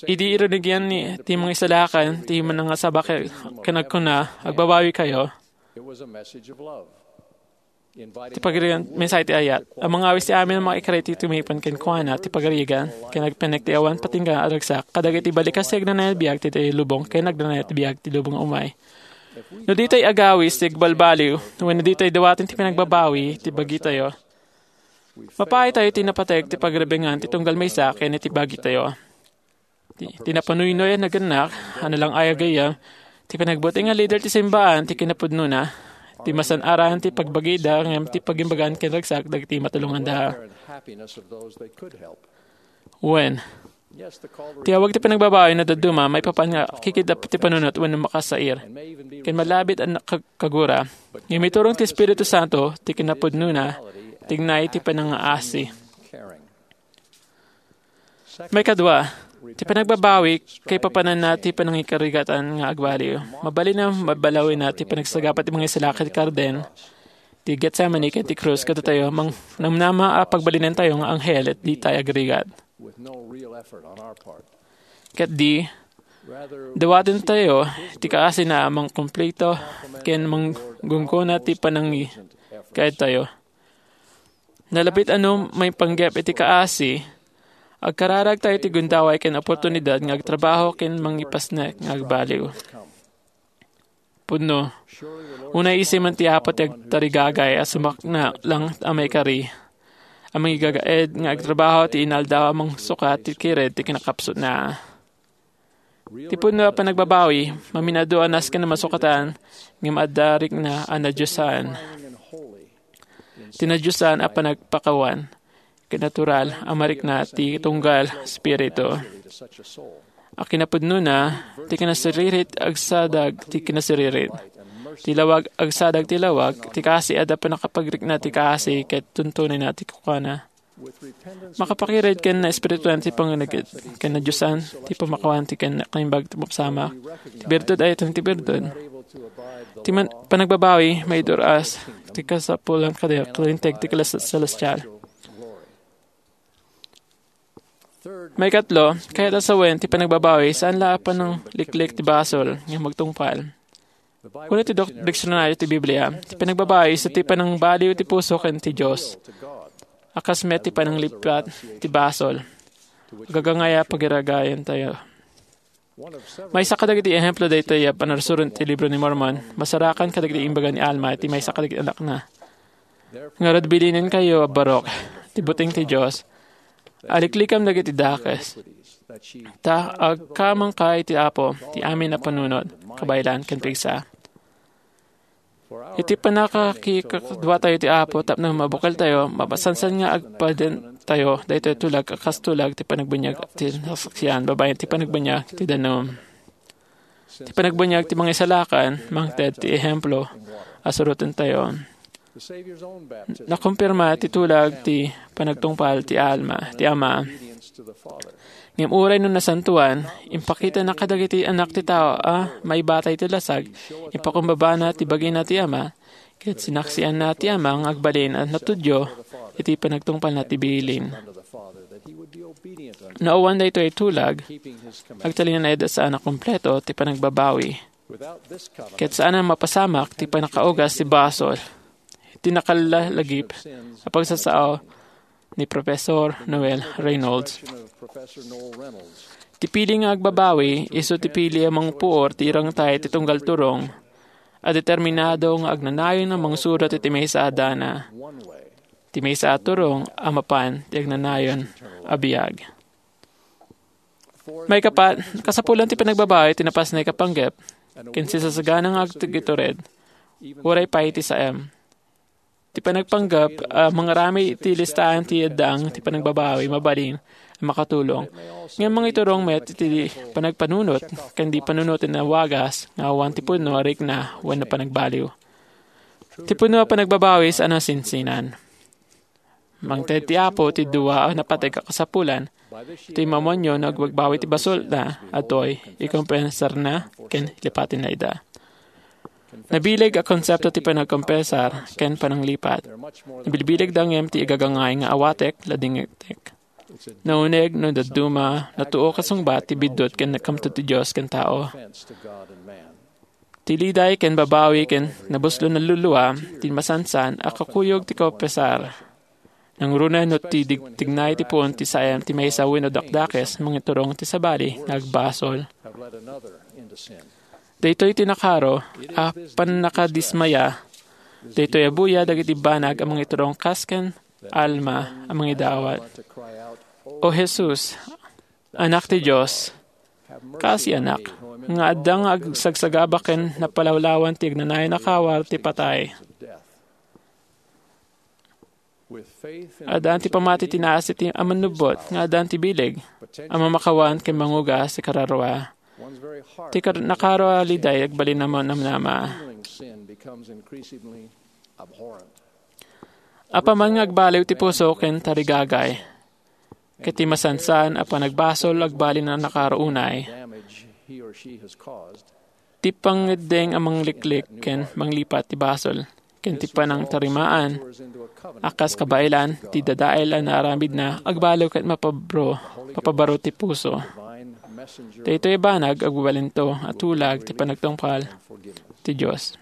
Idi irunigian ni, ti Mangisalakan ti manangasaba ken, ken agkuna, "Agbabawikayo." Ti pagarigan, mensahe ti ayat. Ang mga awis ti amin a makaikariti tumipon kenkuana, ti pagarigan, ken agpanek ti awan patingga a ragsak, kadagiti balikas ti agnanayon a biag ti, ti lubong, ken agnanayon a biag ti lubong umay. No ditay agawis ti agbalbaliw, wenno ditay dawaten ti panagbabawi ti bagitayo, mapaay tayo ti napateg ti pagribingan ti tunggal maysa ken iti bagitayo. Ti, ti napanuynoy a nagannak, a nalang-ay a gayyem, ti panagbuting a lider ti simbaan ti kinapudnona, ti masan-aran ti pagbagida ngem ti pagimbagan ken ragsak dagiti matulonganda. Wen, ti awag ti panagbabawi no dadduma maipapan nga kikidap ti panunot wenno makasair. Ken malabit a nakag-, kagura. Ngem iturong ti Espiritu Santo ti kinapudnona, tignay ti panangaasi. Maikadua, ti panagbabawi, kaipapananna ti panangikarigatan nga agbaliw. Mabalin a mabalawina ti panagsagaba ti mangisalakan ti karden, ti Getsemane ken ti krus kadatayo, mang-, namnama a pagbalinentayo nga anghel, et ditay agrigat. Ket di, dawaten tayo ti kaasina a mangkumplito ken manggunggona ti panangi-, kaedtayo. Nalabit a no maipanggep iti kaasi, agkararag tayo ti gundaway ken oportunidad nga agtrabaho ken mangipasnek nga agbaliw. Pudno, unay isimen ti Apo ti agtarigagay a sumakna lang a maikari, a mangigagaed nga agtrabaho ti inaldaw a mangsukat ti kired ti kinakapsutna. Ti pudno a panagbabawi, maminado a nasken a masukatan, ngem adda rikna a nadiosan. Ti nadiosan a panagpakawan, ket natural a marikna ti tunggal spiritu. A kinapudnona, ti kinasiririt agsadag ti kinasiririt. Ti lawag agsadag ti lawag, ti kaasi adda pannakapagrikna ti kaasi ket tuntunayna ti kukana. Makapakired ken naespirituan ti pangnanaget, ken nadiosan ti pamakawan ti ken naimbag ti mapsamak. Ti birtud ay ti birtud. Ti man-, panagbabawi, maiduras ti kasapulan kada kalinteg ti kalas-, celestial. Maikatlo, kayat a sawen ti panagbabawi, saan la a panangliklik ti basol nga magtungpal. Kuna ti dok-, diksionaryo ti Biblia, ti panagbabawi isu ti panangbaliw ti puso ken ti Dios. A kas met ti pananglipat ti basol. Agagangay a pagiragayan tayo. Maysa kadagiti ehemplo daytoy a panarsuron ti Libro ni Mormon, masarakan kadagiti imbaga ni Alma iti maysa kadagiti anakna. Ngarud, bilinenkayo a barok ti buteng ti Dios, aliklikam dagiti dakes. Ta agkamangka iti Apo ti amin a panunot, kabaelan ken pigsa. Iti pannakakikadua tayo ti Apo tapno mabukel tayo, mapasansan nga agpaden tayo daytoy tulag a kas tulag ti panagbinyag ti nasaksian babaen ti panagbinyag ti danum. Ti panagbinyag ti mangisalakan, mangted ti ehemplo a suroten tayo. Nakumpirma ti tulag ti panagtungpal ti Alma, ti Ama. Ngem uray no nasantoan, impakitana kadagiti anak ti tao a maibatay ti lasag, ipakumbabana ti bagina ti Ama, ket sinaksianna ti Ama nga agbalin a natudyo iti panagtungpalna ti bilin. No awan daytoy tulag, agtalinaed a saan a kompleto ti panagbabawi. Ket saan a mapasamak ti pannakaugas ti basol. Ti nakallalagip a pagsasao ni Professor Noel Reynolds. Ti pili nga agbabawi, isu ti pili a mangpuor ti irangtay ti tunggal turong a determinado nga agnanayon a mangsurot iti maysa a dana, ti maysa a turong a mapan ti agnanayon a biag. Maikapat, kasapulan ti panagbabawi ti napasnek a panggep, ken sisasagana nga agtugitured, uray pay ti saem. Ti panagpanggep a mangaramid iti listahan ti addang ti panagbabawi mabalin a makatulong. Ngem mangiturong met iti panagpanunot ken di panunoten a wagas nga awan ti pudno a rikna wenno panagbaliw. Ti pudno a panagbabawi saan a sinsinan. Mangted ti Apo ti dua a napateg a kasapulan. Iti mamunyo no agbagbawi ti basolna, adtoy ikompensarna ken lipatenna ida. Nabileg a konsepto ti panagkompensar ken pananglipat. Nabilbilegda ngem ti igagangay nga awatek, ladingittek. Nauneg no dadduma, natuo kasungbat ti biddut ken nagkamtod ti Dios ken tao. Ti liday ken babawi ken nabuslo nalulua ti masansan a kakuyog ti kaupesar. Nangruna no ti digtignay ti puon ti saem ti maysa wenno dakdakes mangiturong ti sabali nga agbasol. Daytoy ti nakaro a pannakadismaya. Daytoy a buya dagiti banag a mangiturong kas ken Alma a mangidawat. O Jesus, Anak ti Dios, kaasianak, nga adda nga agsagsagaba ken napalawlawan ti agnanayon a kawar ti patay. Addaan ti pammati ti naasi ti a mannubbot nga addaan ti bileg a mamakawan ken mangugas ti kararua. Ti kar-, nakaro a liday agbalin a manamnama. Apaman nga agbaliw ti puso ken tarigagay, ket ti masansan a panagbasol agbalin a nakaro unay. Ti pangngeddeng a mangliklik ken manglipat ti basol, ken ti panangtarimaan a kas kabaelan ti dadael a naaramidna, agbaliw ket mapabro, mapabaro ti puso. Daytoy a banag agbabalinto a tulag ti panagtungpal ti Dios.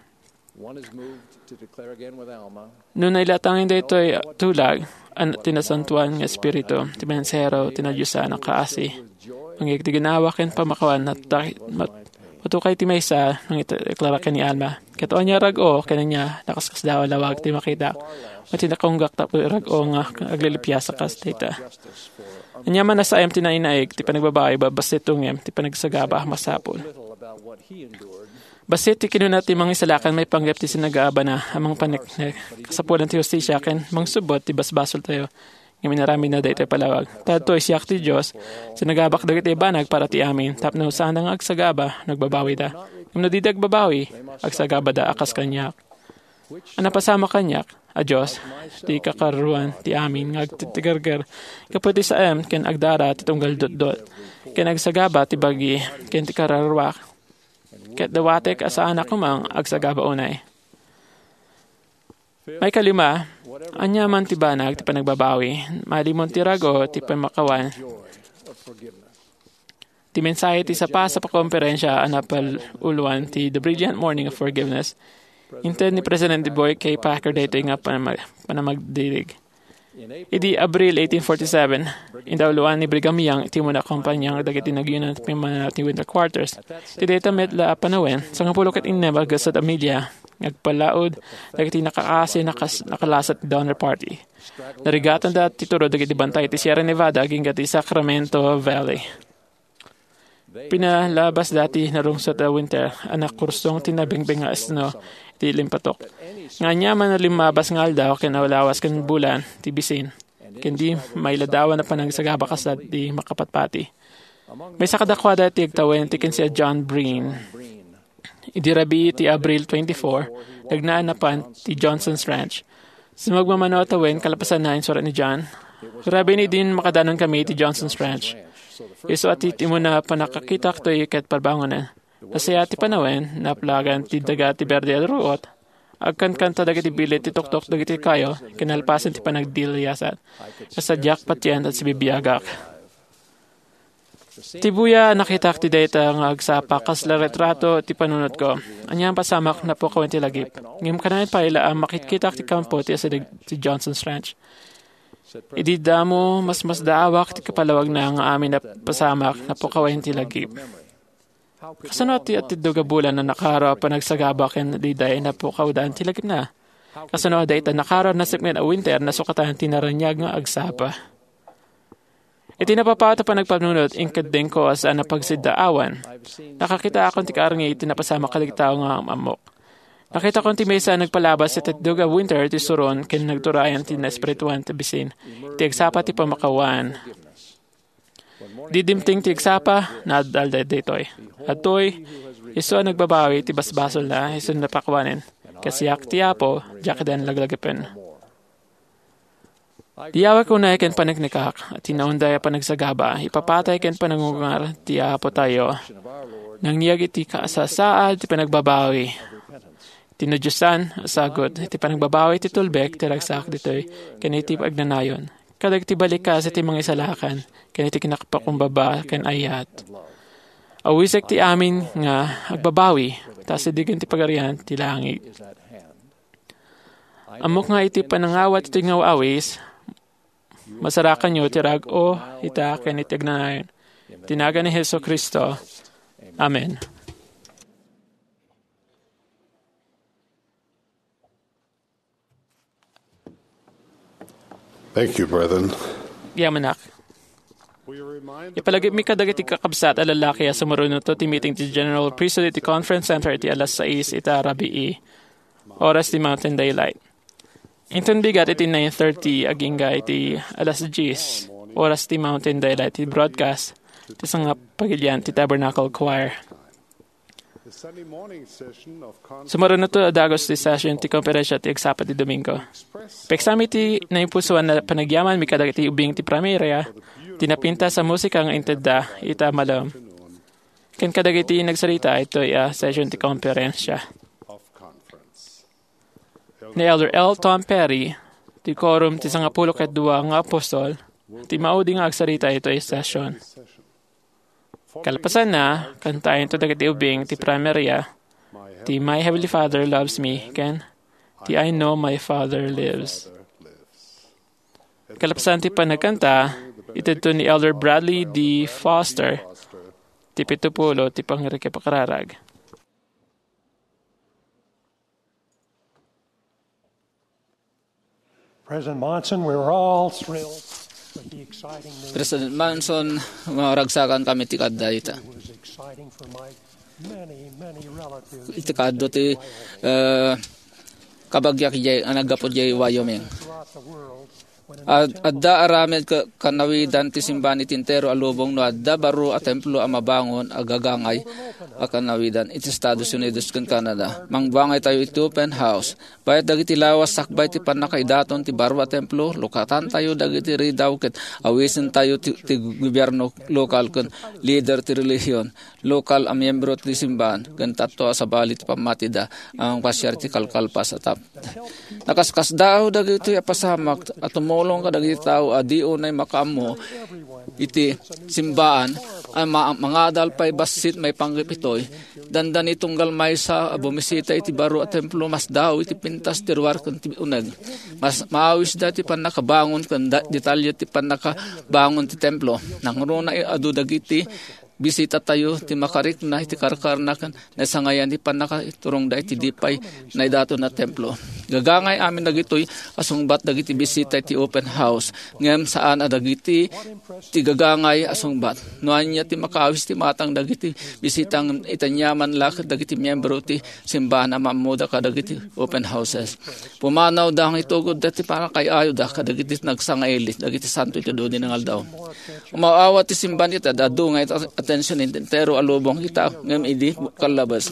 No nailatangen daytoy a tulag, an ti Nasantoan nga Espiritu, ti mensahero ti nadiosan a kaasi, mangyeg ti ginawa ken pamakawan, natta-, mat-, matukay ti maysa, nangideklara ken ni Alma. Ket ania rag-o ken ania, nakaskasdaaw a lawag ti makitak, wen ti nakunggak tapno rag-o nga aglilipias a kas dayta. Ania man a saem ti nainaig ti panagbabawi, babassit ngem ti panagsagaba a masapul. Bassit ti kinuna ti Mangisalakan maipanggep ti sinagabana a mangpaneknek, kasapulan ti hustisia ken mangsubbot ti basbasoltayo. Ngem inaramidna daytoy a palawag. Ta adtoy, siak ti Dios, sinagabak dagiti banag para ti amin, tapno saanda nga agsagaba no agbabawida. Ngem no dida agbabawi, agsagabada a kas kaniak. A napasamak kaniak, a Dios, ti kakaruan ti amin nga agtitigerger gapu ti saem ken agdara ti tunggal dotdot, ken agsagaba ti bagi ken ti kararuak. Ket dawatek a saanak koma nga agsagaba unay. Maikalima, ania man ti banag ti panagbabawi, malimon ti rag-o ti pamakawan. Ti mensahe ti sapasapa konferensia a napal-uloan ti The Brilliant Morning of Forgiveness, inted ni Presidente Boyd K. Packer daytoy nga panama-, panamagdirig. Idi Abril eighteen forty-seven, indauloan ni Brigham Young ti umuna a kompania dagiti nagyunan ti pimmanawna ti Winter Quarters. Iti dayta met la a panawen, sangapulo ket innem a gasat a milya nga agpalaud dagiti nakakaasi a nakas-, nakalasat ti Donner Party. Narigatanda ti tudo dagiti bantay ti Sierra Nevada agingga ti Sacramento Valley. Pinalabasda ti narungsot a winter a nakursong ti nabengbeng nga asno iti limpatok. Nga aniaman a limmabas nga aldaw ken awlawas ken bulan ti bisin, ken di mailadawan a panagsagaba kas di makapatpati. Maysa kadakuada ti agtawen ti kinsia John Breen. Idi rabii ti Abril twenty-four, nagnaan napan ti Johnson's Ranch. Sumagmamano a tawen, kalpasanna, insurat ni John. Rabii ni din makadanon kami iti Johnson's Ranch. Isu a ti, ti umuna a pannakakitak toy ket parbangonen. Nasayaat ti panawen, naplagan ti daga ti berde a ruot. Agkankanta dagiti bilit ti tuktok dagiti kayo, kinalpasan ti panagdiliyasat. Kasadiak patien ta sibibiagak. Ti buya a nakitak ti dayta nga agsapa kasla retrato ti panunotko. Ania a pasamak napukawen ti lagip. Ngem kanayon pay la a makitkitak ti kampo ti asideg ti Johnson's Ranch. Idi damo, masmasdaawak ti kapalawagna nga amin a pasamak napukawen ti lagip. Kasano ti atiddog a bulan a nakaro a panagsagaba ken daydiay napukawdan ti lagipna? Kasano a dayta nakaro a nasipnget a winter nasukatan ti naraniag nga agsapa? Iti napapaut a panagpanunot, inkeddengko a saan a pagsiddaawan. Nakakitaakon ti kaarngi iti napasamak kadagiti tao nga am-ammok. Nakitakon ti maysa a nagpalabas iti atdeg a winter ti suron ken nagturayan ti naespirituan ti bisin iti agsapa ti pamakawan. Di dimteng ti agsapa, naad-alda daytoy. Adtoy, isu a nagbabawi ti basbasolna, isu napakuanen, "Ket siak ti Apo, diak idan laglagipen." Diyawek unay ken paneknekak, a tinaonday a panagsagaba, ipapatay ken panangungar ti Apotayo. Nangyeg iti kasasaad ti panagbabawi. Ti nadiosan a sagut iti panagbabawi ti tulbek ti ragsak ditoy ken iti agnanayon. Kadagiti balikas iti mangisalakan ken iti kinakapakumbaba ken ayat. Awisek ti amin nga agbabawi, ta asidegen ti Pagarian ti langit. Ammok nga iti panangawat iti ngaw-awis, masarakanyo ti rag-o ita ken iti agnanayon. Ti nagan ni Jesu-Cristo. Amen. Thank you, brethren. Yamanak. Ipalagipmi kadagiti kakabsat a lalaki a sumurunotto ti meeting ti General Priesthood iti Conference Center iti alas sais ita rabii, oras ti Mountain Daylight. Inton bigat iti nine thirty agingga iti alas dies, oras ti Mountain Daylight, ti broadcast ti sangapagilian ti Tabernacle Choir. Sumurunotto a dagus ti session ti konferensia ti agsapa ti Domingo. Peksamin ti naimpusoan a panagyamanmi kadagiti ubing ti primaria, ti napintas a musika nga intedda ita malem, ken kadagiti nagsarita itoy a session ti konferensia. ni Elder L. Tom Perry, ti Quorum ti Sangapulo ket Dua nga Apostol, ti maudi nga agsarita itoy session. Kalpasanna, kantaentayo dagiti ubing ti Primaria, ti My Heavenly Father Loves Me, ken ti I Know My Father Lives. Kalpasan ti panagkanta, itedto ni Elder Bradley D. Foster, ti pitupulo ti pangrikipakararag. President Monson, we were all thrilled with the exciting news. President Monson, maragsakan kami ti kadda ita. It was exciting for my many, many relatives. Iti kaddo ti, eh, kabagyak jay, a naggapu jay Wyoming. Throughout the world, when an Ad-, adda aramid ka-, kanawidan ti simbahan iti entero a lubong no adda baro a templo a mabangon a gagangay a kanawidan iti Estados Unidos ken Canada. Mangbangay tayo iti open house. Bayat dagiti lawas sakbay ti pannakaidaton ti baro a templo, lukatantayo dagiti ridaw ket awisentayo ti, ti gobierno lokal ken lider ti relihion lokal a miyembro ti simbahan ken tatto a sabali ti pammatida a mangpasiar ti kalkalpas a tap-, nakaskasdaaw dagitoy a pasamak a tumulong kadagiti tao a di unay makaammo iti simbahan a ma-, mangadal pay bassit maipanggep itoy. Dandani tunggal maysa a bumisita iti baro a templo, masdaaw iti pintas ti ruar ken ti uneg. Mas maawisda ti pannakabangon ken da-, detalye ti pannakabangon ti templo. Nangruna adu dagiti bisitatayo ti makarikna iti karkarna ken naisangayan ti pannakaiturongda iti di pay naidaton a templo. Gagangay amin dagitoy a sungbat dagiti bisita iti open house, ngem saan a dagiti ti gagangay a sungbat. No ania ti makaawis ti matang dagiti bisita ngem iti aniaman la ket dagiti miyembro ti simbahan a maammoda kadagiti open houses. Pumanawda nga itugod dati pannakaay-ayoda kadagiti nagsangaili dagiti santo iti dudi nga aldaw. Umaw-awat ti simbahan ita, adu nga ita atension iti entero a lubong ita, ngem idi kallabas.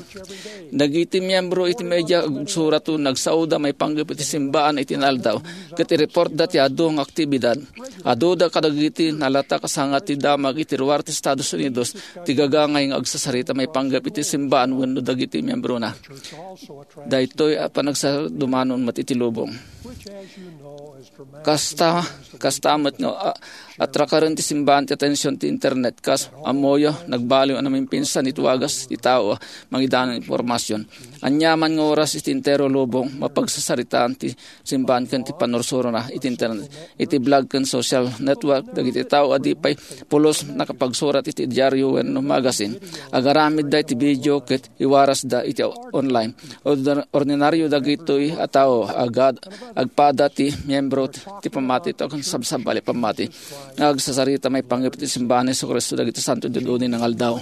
Dagiti miyembro iti media agsurato nagsaoda maipanggep iti simbahan iti naaldaw, ket i-reportda ti adu nga aktibidad. Aduda kadagiti nalatak a sanga ti damag iti ruar ti Estados Unidos ti gagangay nga agsasarita maipanggep iti simbahan wenno dagiti miyembrona. Daytoy a panagsadumanon met iti lubong. Kasta, kasta met nga, a, atrakaren ti simbahan ti atension ti internet, kas ammoyo, nagbaliw a namimpinsan iti wagas ti tao a mangidanan informasion. Aniaman nga oras iti entero lubong, mapagsasaritaan ti simbahan ken ti pannursurona iti internet, iti blog ken social network, dagiti tao a di pay pulos nakapagsurat iti diario wenno magazine. Agaramidda iti video ket iwarasda iti online. Ordi-, ordinario dagitoy a tao, agad, agpada ti miyembro ti pammati, ken sabsabali pammati nga agsasarita maipanggep iti simbahan ni Jesu-Cristo dagiti santo iti dudi nga aldaw.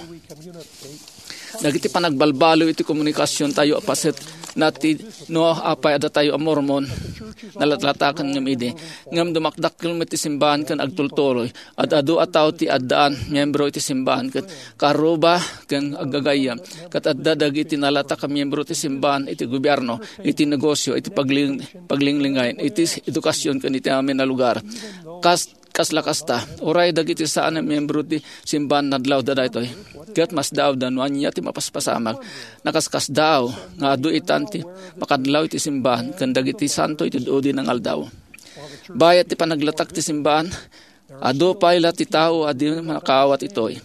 Dagiti panagbalbaliw iti komunikasiontayo a paset na ti no apay a datayo a Mormon, nalatlataken ngem idi. Ngem dumakdakkel met ti simbahan ken agtultuloy. Ad-adu a tao ti addaan miyembro iti simbahan ket karuba ken aggagayyem. Ket adda dagiti nalatak a miyembro ti simbahan iti gobierno, iti negosio, iti pagling-, paglinglingay, iti edukasion ken iti amin a lugar. Kas-, kasla kasta, uray dagiti saan a miyembro ti simbahan nadlawda daytoy. Ket masdaawda no ania ti mapaspasamak. Nakaskasdaaw nga adu itan ti makadlaw iti simbahan ken dagiti santo iti dudi nga aldaw. Bayat ti panaglatak ti simbahan, adu pay la ti tao a di makaawat itoy.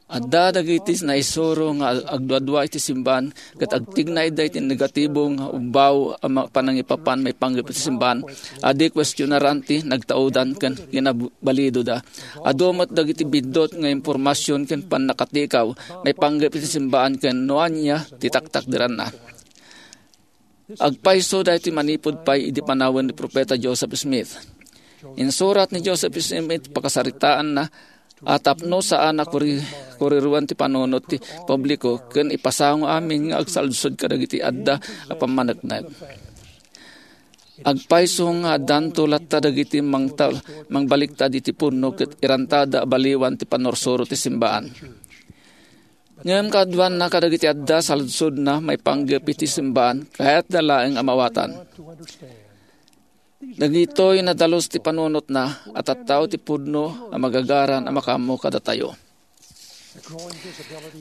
Adda dagiti naisuro nga agduadua iti simbahan ket agtignayda iti negatibo nga ubbaw a ma-, panangipapan maipanggep iti simbahan a di kuestionaran ti nagtaudan ken kinabalidoda. Adu met dagiti biddut nga impormasion ken pannakatikaw maipanggep iti simbahan ken no ania ti taktakderanna. Agpayso daytoy manipud pay idi panawen ni Profeta Joseph Smith. Insurat ni Joseph Smith pakasaritaanna a tapno saan a kuri-, kuriruan ti panunot ti publiko ken ipasango amin nga agsalsod kadagiti adda a pammaneknek. Agpayso nga addanto latta dagiti mangtal-, mangbaliktad iti pudno ket irantada a baliwan ti pannursuro ti simbaan. Ngem kaaduanna kadagiti adda saludsodna maipanggep iti simbaan, kayatda laeng a maawatan. Dagitoy nadalus ti panunotna a tattao ti pudno a magagaran a makaammo kadatayo.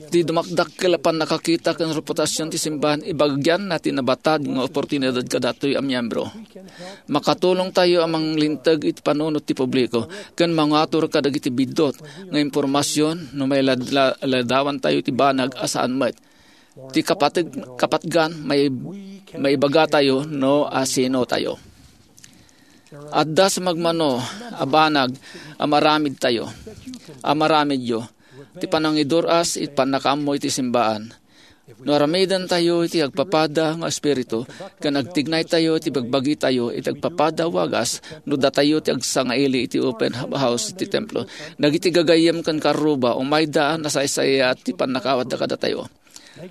Ti dumakdakkel a pannakakita ken reputasion ti simbahan, ibagianna ti nabatad nga oportunidad kadatoy a miembro. Makatulongtayo a manglinteg iti panunot ti publiko ken mangatur kadagiti biddut nga impormasion no mailadla-, ladawantayo ti banag a saan met. Ti kapateg-, kapatgan, mai-, maibagatayo no asino tayo. Adda sumagmamano a banag a maramidtayo, a maramidyo, ti panangidur-as iti pannakaammo iti simbaan. No aramidentayo iti agpapada nga espiritu, ken agtignaytayo iti bagbagitayo iti agpapada a wagas, no datayo ti agsangaili iti open house iti templo. Dagiti gagayyem ken karruba, umayda a nasaysayaat ti pannakaawatda kadatayo.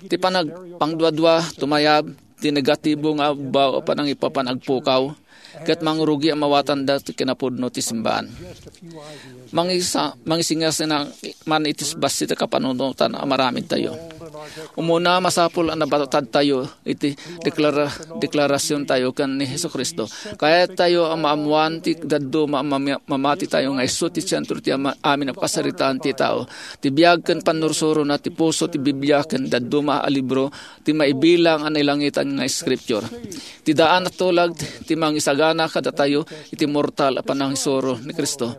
Ti panag-, pangduadua, tumayab ti negatibo nga ubbaw a panangipapan agpukaw, ket mangrugi a mawatanda ti kinapudno ti simbaan. Mangisa-, mangisingasina man iti bassit a kapanunotan a maramidtayo. Umuna, masapul a nabatadtayo iti deklara-, deklarasiontayo ken ni Jesu-Cristo. Kayattayo a maammoan ti dadduma a mami-, mamatitayo nga isu ti sentro ti ama-, amin a kasaritaan ti tao. Ti biag ken pannursurona ti puso ti Biblia ken dadduma a libro ti maibilang a nailangitan nga scripture. Ti daan a tulag ti mangisagana kadatayo iti mortal a panangisuro ni Cristo.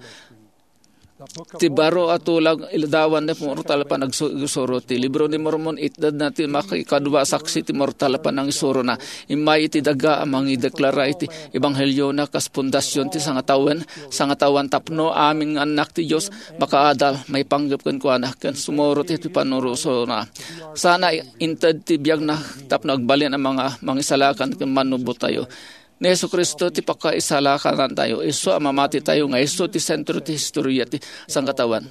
Ti baro a tulag iladawan ti mortal a panagsu-, panangisuro. Ti Libro ni Mormon, itedna ti makikadua a saksi ti mortal a panangisurona. Immay iti daga a mangideklara iti ebangheliona kas pundasion ti sangatawen, sangatawen tapno amin nga annak ti Dios makaadal, maipanggep kenkuana, ken sumurot iti pannursona. Sana inted ti biagna tapno agbalin a mga mangisalakan ken mannubbotayo. Ni Jesu-Cristo ti pakaisalakanantayo, isu a mamatitayo nga isu ti sentro ti historia ti sangkataoan.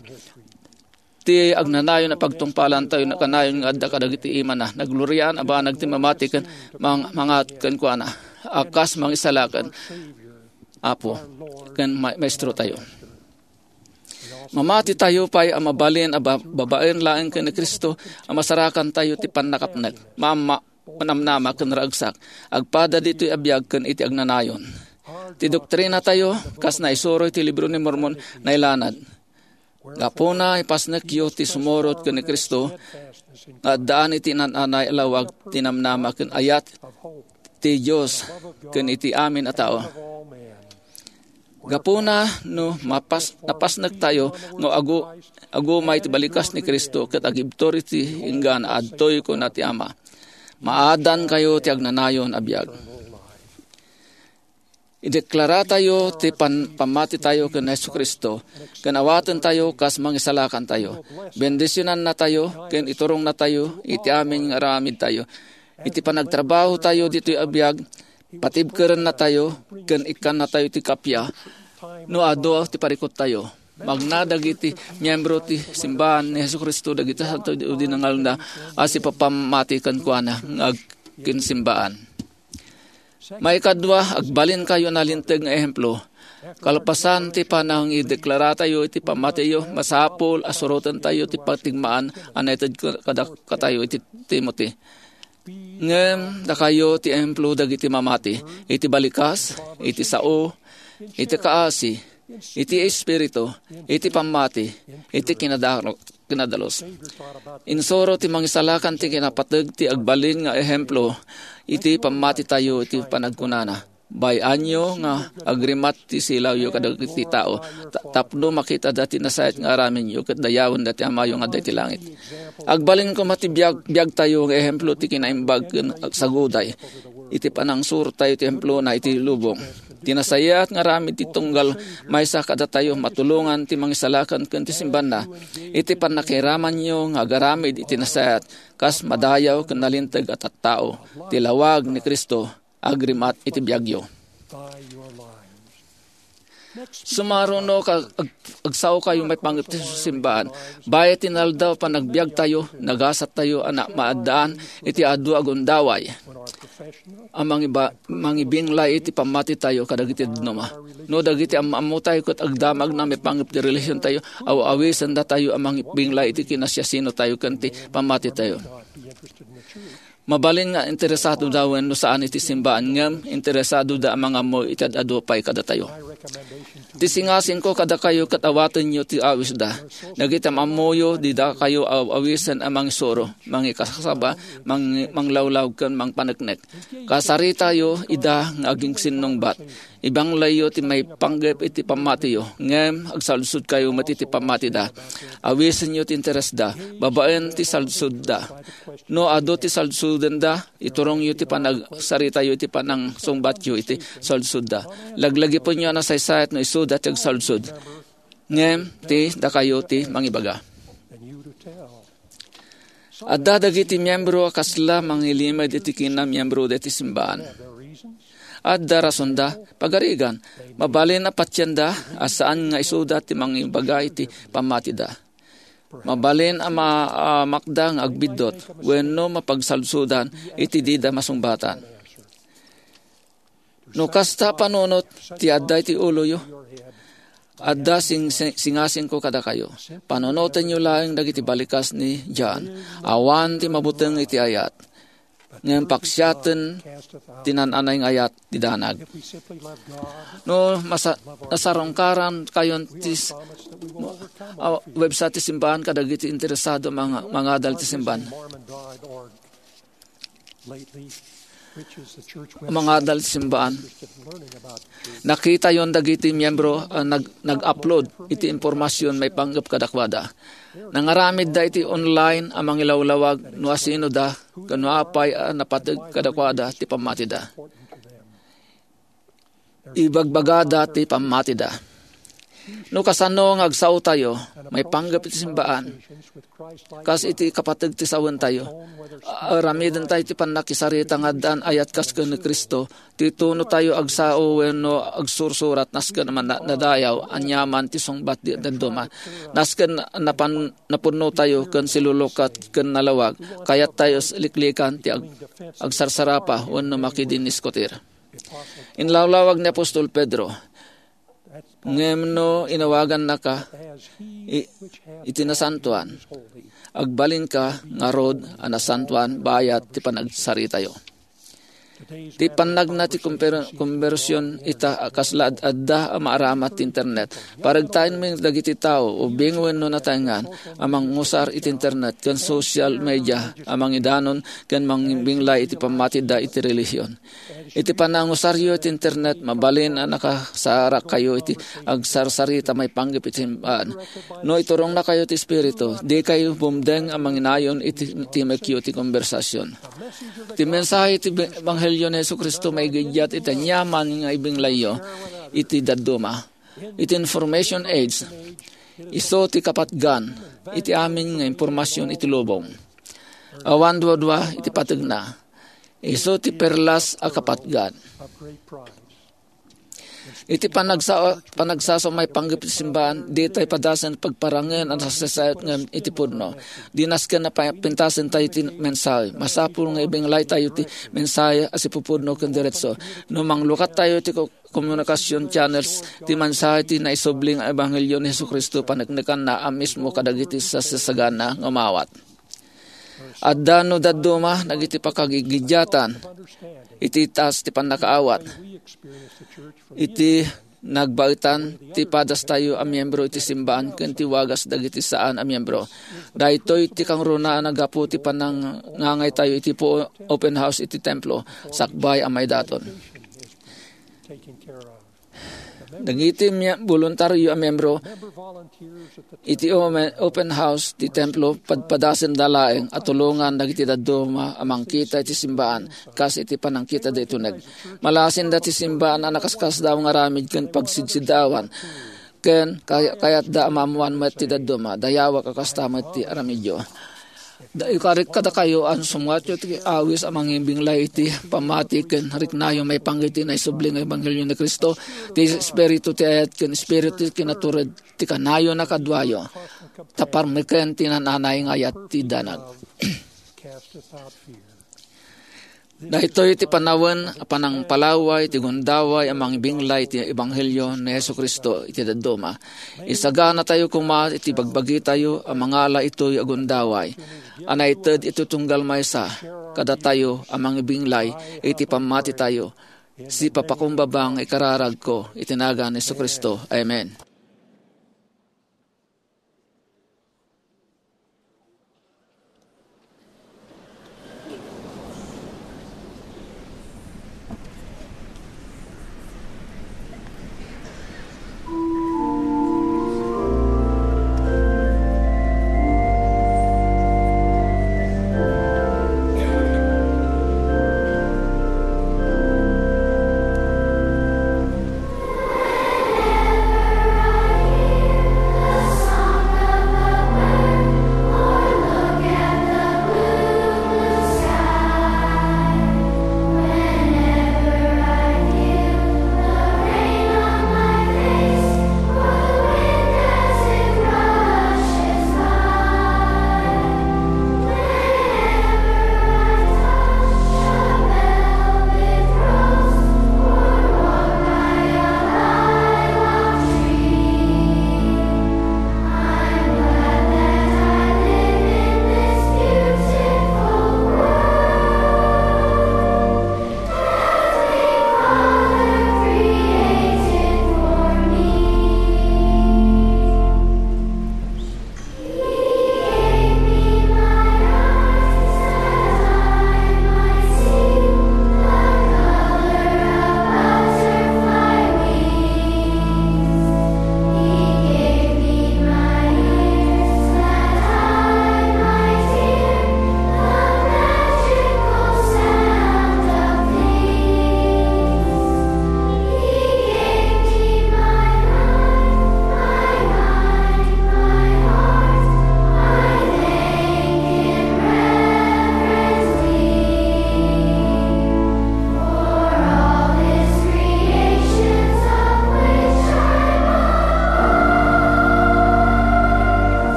Ti agnanayon a pagtungpalantayo nakanayon nga adda kadagiti imana. Nagluriaan a banag ti mamati ken mang-, mangat kenkuana a kas mangisalakan, Apo, ken ma-, Maestrotayo. Mamatitayo pay a mabalin a ba-, babaen laeng ken ni Cristo a masarakantayo ti pannakapnek, maamma, manamnama ken naragsak, agpada ditoy a biag ken iti agnanayon. Ti doktrinatayo, kas naisuro iti Libro ni Mormon, nailanad. Gapuna, ipasnekyo ti sumurot ken ni Cristo nga addaan iti naan-anay a lawag ti namnama ken ayat ti Dios ken iti amin a tao. Gapuna no mapas-, napasnektayo nga agu-, agumay ti balikas ni Cristo ket agibtur iti inggana, adtoy kuna ti Ama. Maadankayo ti agnanayon a biag. Ideklaratayo ti pan-, pammatitayo ken Jesu-Cristo, ken awatentayo kas mangisalakantayo. Bendisionannatayo ken iturongnatayo iti amin nga aramidtayo. Iti panagtrabahotayo ditoy a biag, patibkerennatayo ken ikkannatayo ti kappia no adu ti parikuttayo. Magna dagiti miembro ti simbaan ni Jesu-Cristo dagiti santo idi nangalna a sipapammati kenkuana nga agkinsimbaan. Maikadua, agbalinkayo nalinteg nga ehemplo. Kalpasan ti panangideklaratayo iti pammatiyo, masapul a surotentayo ti patigmaan a naited kadakatayo iti Timothy. Ngem dakayo ti ehemplo dagiti mamati iti balikas, iti sao, iti kaasi, iti espiritu, iti pammati, iti kinadaro-, kinadalus. Insuro ti Mangisalakan ti kinapateg ti agbalin nga ehemplo iti pammatitayo iti panagkunana, "Bay-anyo nga agrimat ti silawyo kadagiti tao, ta-, tapno makitada ti nasayaat nga aramidyo ket dayawenda ti Amayo nga adda iti langit." Agbalin koma ti biag-, biagtayo nga ehemplo ti kinaimbag ken agsaguday iti panangsurtayo ti templona iti lubong. Ti nasayaat nga aramid ti tunggal maysa kadatayo matulongan ti Mangisalakan ken ti simbaanna iti pannakiramanyo nga agaramid iti nasayaat kas madayaw ken nalinteg a tattao ti lawag ni Cristo agrimat iti biagyo. Sumaruno ka ag-, agsaokayo maipanggep ti simbaan. Bayat ti naldaw panagbiagtayo, nagasattayo a na-, maaddaan iti adu a gundaway a mangiba-, mangibinglay iti pammatitayo kadagiti dadduma. No dagiti am-ammutayo ket agdamagna maipanggep ti relihion tayo, aw-awisendatayo a mangibinglay iti kinasiasinotayo ken ti pammatitayo. Mabalin nga interesadoda wen no saan iti simbaan, ngem interesadoda a mangammo iti ad-adu pay kadatayo. Ti singasingko kadakayo ket awatenyo ti awisda. Dagiti am-ammoyo, dida kayo aw-awisen a mangisuro, mangikasaba, mang-, manglawlaw ken mangpaneknek. Kasaritayo ida nga agingsinnungbat. Ibanglayyo ti maipanggep iti pammatiyo, ngem agsaludsodkayo met iti pammatida. Awisenyo ti interesda, babaen ti saludsodda. No adu ti saludsodenda, iturongyo ti panagsaritayo iti panangsungbatyo iti saludsodda. Laglagipenyo a nasaysayat no isuda ti agsaludsod, ngem ti dakayo ti mangibaga. Adda dagiti miyembro a kasla mangilimed iti kinamiyembro deti simbaan. Adda rasonda, pagarigan, mabalin a patienda a saan nga isuda ti mangibaga iti pammatida. Mabalin a ma-, a makda nga agbiddut wenno mapagsaludsodan iti dida masungbatan. No kasta panunot ti adda iti uloyo, adda sing-, sing-, singasingko kadakayo. Panunotenyo laeng dagiti balikas ni John. Awan ti mabuteng iti ayat, ngem paksiaten ti naan-anay nga ayat ti danag. No masa-, nasarungkaran kayon ti s-, a, website ti simbaan kadagiti interesado manga-, mangadal ti simbaan. Mangadal ti simbaan. Nakitayon dagiti miyembro a nag-, nag-upload iti impormasyon maipanggep kadakuada. Nangaramidda iti online a mangilawlawag no asinoda ken no apay a napateg kadakuada ti pammatida. Ibagbagada ti pammatida. No kasano nga agsaotayo maipanggep iti simbaan, kas iti kapateg ti sawentayo, a-, aramidentayo ti pannakisarita nga addaan ayat kas ken ni Cristo, ti tunotayo agsao wenno agsursurat nasken a man-, nadayaw aniaman ti sungbat ti dadduma. Nasken napan-, napunnotayo ken silulukat ken nalawag, kayattayo s-, liklikan ti ag-, agsarsarapa wenno makidinniskutir. Inlawlawag ni Apostol Pedro, ngem no inawagannaka i-, iti nasantoan, agbalinka ngarud a nasantoan bayat ti panagsaritayo. Ti pannagna ti kumper-, kumbersion ita a kasla ad-, adda a maaramat ti internet. Paregtaenmi dagiti tao, ubing wenno nataengan, a mangusar iti internet ken social media a mangidanon ken mangbinglay iti pammatida iti relihion. Iti panangusaryo iti internet, mabalin a nakasarakkayo iti agsarsarita maipanggep iti simbaan. No iturongnakayo ti Espiritu, dikayo bumdeng a manginayon iti timekyo ti konbersasion. Ti mensahe ti Ebanghelio ni Jesu-Cristo maigiddiat iti aniaman nga ibinglayyo iti dadduma. Iti information age, isu ti kapatgan iti amin nga impormasion iti lubong. Awan duadua iti pategna. Isu ti perlas a kapatgan. Iti panagsa-, panagsasaw maipanggep iti simbaan, ditay padasen pagparangen a nasaysayat ngem iti pudno. Di nasken a pa-, pintasen tayo ti mensahe. Masapul nga ibinglay tayo ti mensahe a sipupudno ken diretso. No manglukat tayo ti ko-, communication channels, ti mensahe ti naisubli nga ebanghelio ni Jesu-Cristo paneknekanna a mismo kadagiti sasasagana nga umawat. Adda no dadduma dagiti pakagigiddiatan iti taas ti pannakaawat. Iti nagbaetan ti padastayo a miembro iti simbaan ken ti wagas dagiti saan a miembro. Daytoy ti kangruna a naggapu ti panangangaytayo iti po-, open house iti templo sakbay a maidaton. Dagiti mi-, boluntario a miembro iti ome-, open house ti templo, padpadasenda laeng a tulongan dagiti dadduma a mangkita iti simbaan kas iti panangkita daytoy nag-, malasenda ti simbaan a nakaskasdaaw nga aramid ken pagsidsiddaawan, ken kay-, kayatda a maammoan met ti dadduma. Dayawak a kasta met ti aramidyo. Da-, ikarik kadakayo a sumngatyo ti awis a mangibinglay iti pammati ken riknayo maipanggep iti naisubli nga ebanghelio ni Cristo, ti Espiritu ti ayat ken Espiritu ti kinatured ti kanayon a kaduayo, ta parmeken ti naan-anay nga ayat ti danag. Daytoy ti panawen a panangpalaway ti gundaway a mangibinglay ti ebanghelio ni Jesu-Cristo iti dadduma. Isaganatayo koma iti bagbagitayo a mangala itoy a gundaway a naited iti tunggal maysa kadatayo a mangibinglay iti pammatitayo Sipapakumbaba nga ikararagko iti nagan ni Jesu-Cristo. Amen.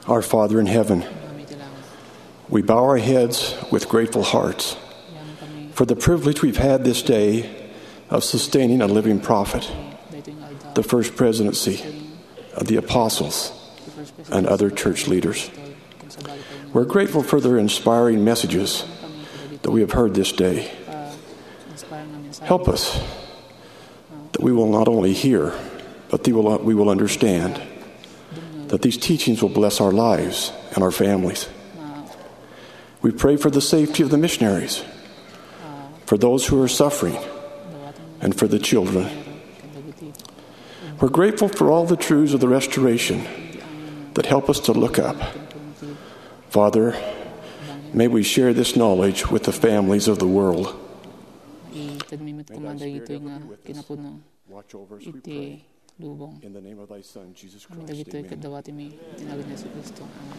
Our Father in heaven, we bow our heads with grateful hearts for the privilege we've had this day of sustaining a living prophet, the First Presidency of the Apostles, and other church leaders. We're grateful for their inspiring messages that we have heard this day. Help us that we will not only hear, but we will, we will understand that these teachings will bless our lives and our families. We pray for the safety of the missionaries, for those who are suffering, and for the children. We're grateful for all the truths of the restoration that help us to look up. Father, may we share this knowledge with the families of the world. Itedmi met koma dagitoy nga kinapuno iti lubong. In the name of thy Son, Jesus Christ, dagitoy amen. Ket dawatimi iti nagan ni Jesu-Cristo. Amen.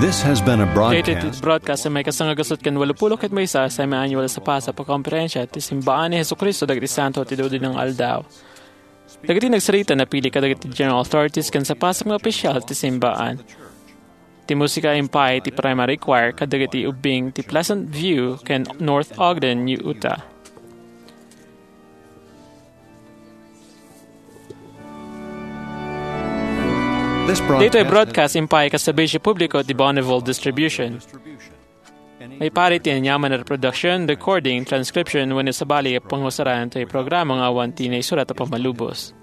This has been a broadcast. Daytoy ti broadcast a maikasangagusot ken walupulo ket maysa a semi-annual a sapasap a komperensia ti Simbaan ni Jesu-Cristo dagiti Santo ti Dudinong Aldaw. Dagiti nagsarita napili kadagiti general authorities ken sapasap nga opisyal ti simbaan. Ti musika impay ti primary choir kadagiti ubbing ti Pleasant View ken North Ogden, Utah. This broadcast impay ket serbisyo publiko ti Bonneville Distribution. Maipari ti aniaman a reproduction, recording, transcription, wenno sabali a pangusaran ti programa nga awan ti naisurat a pammalubos.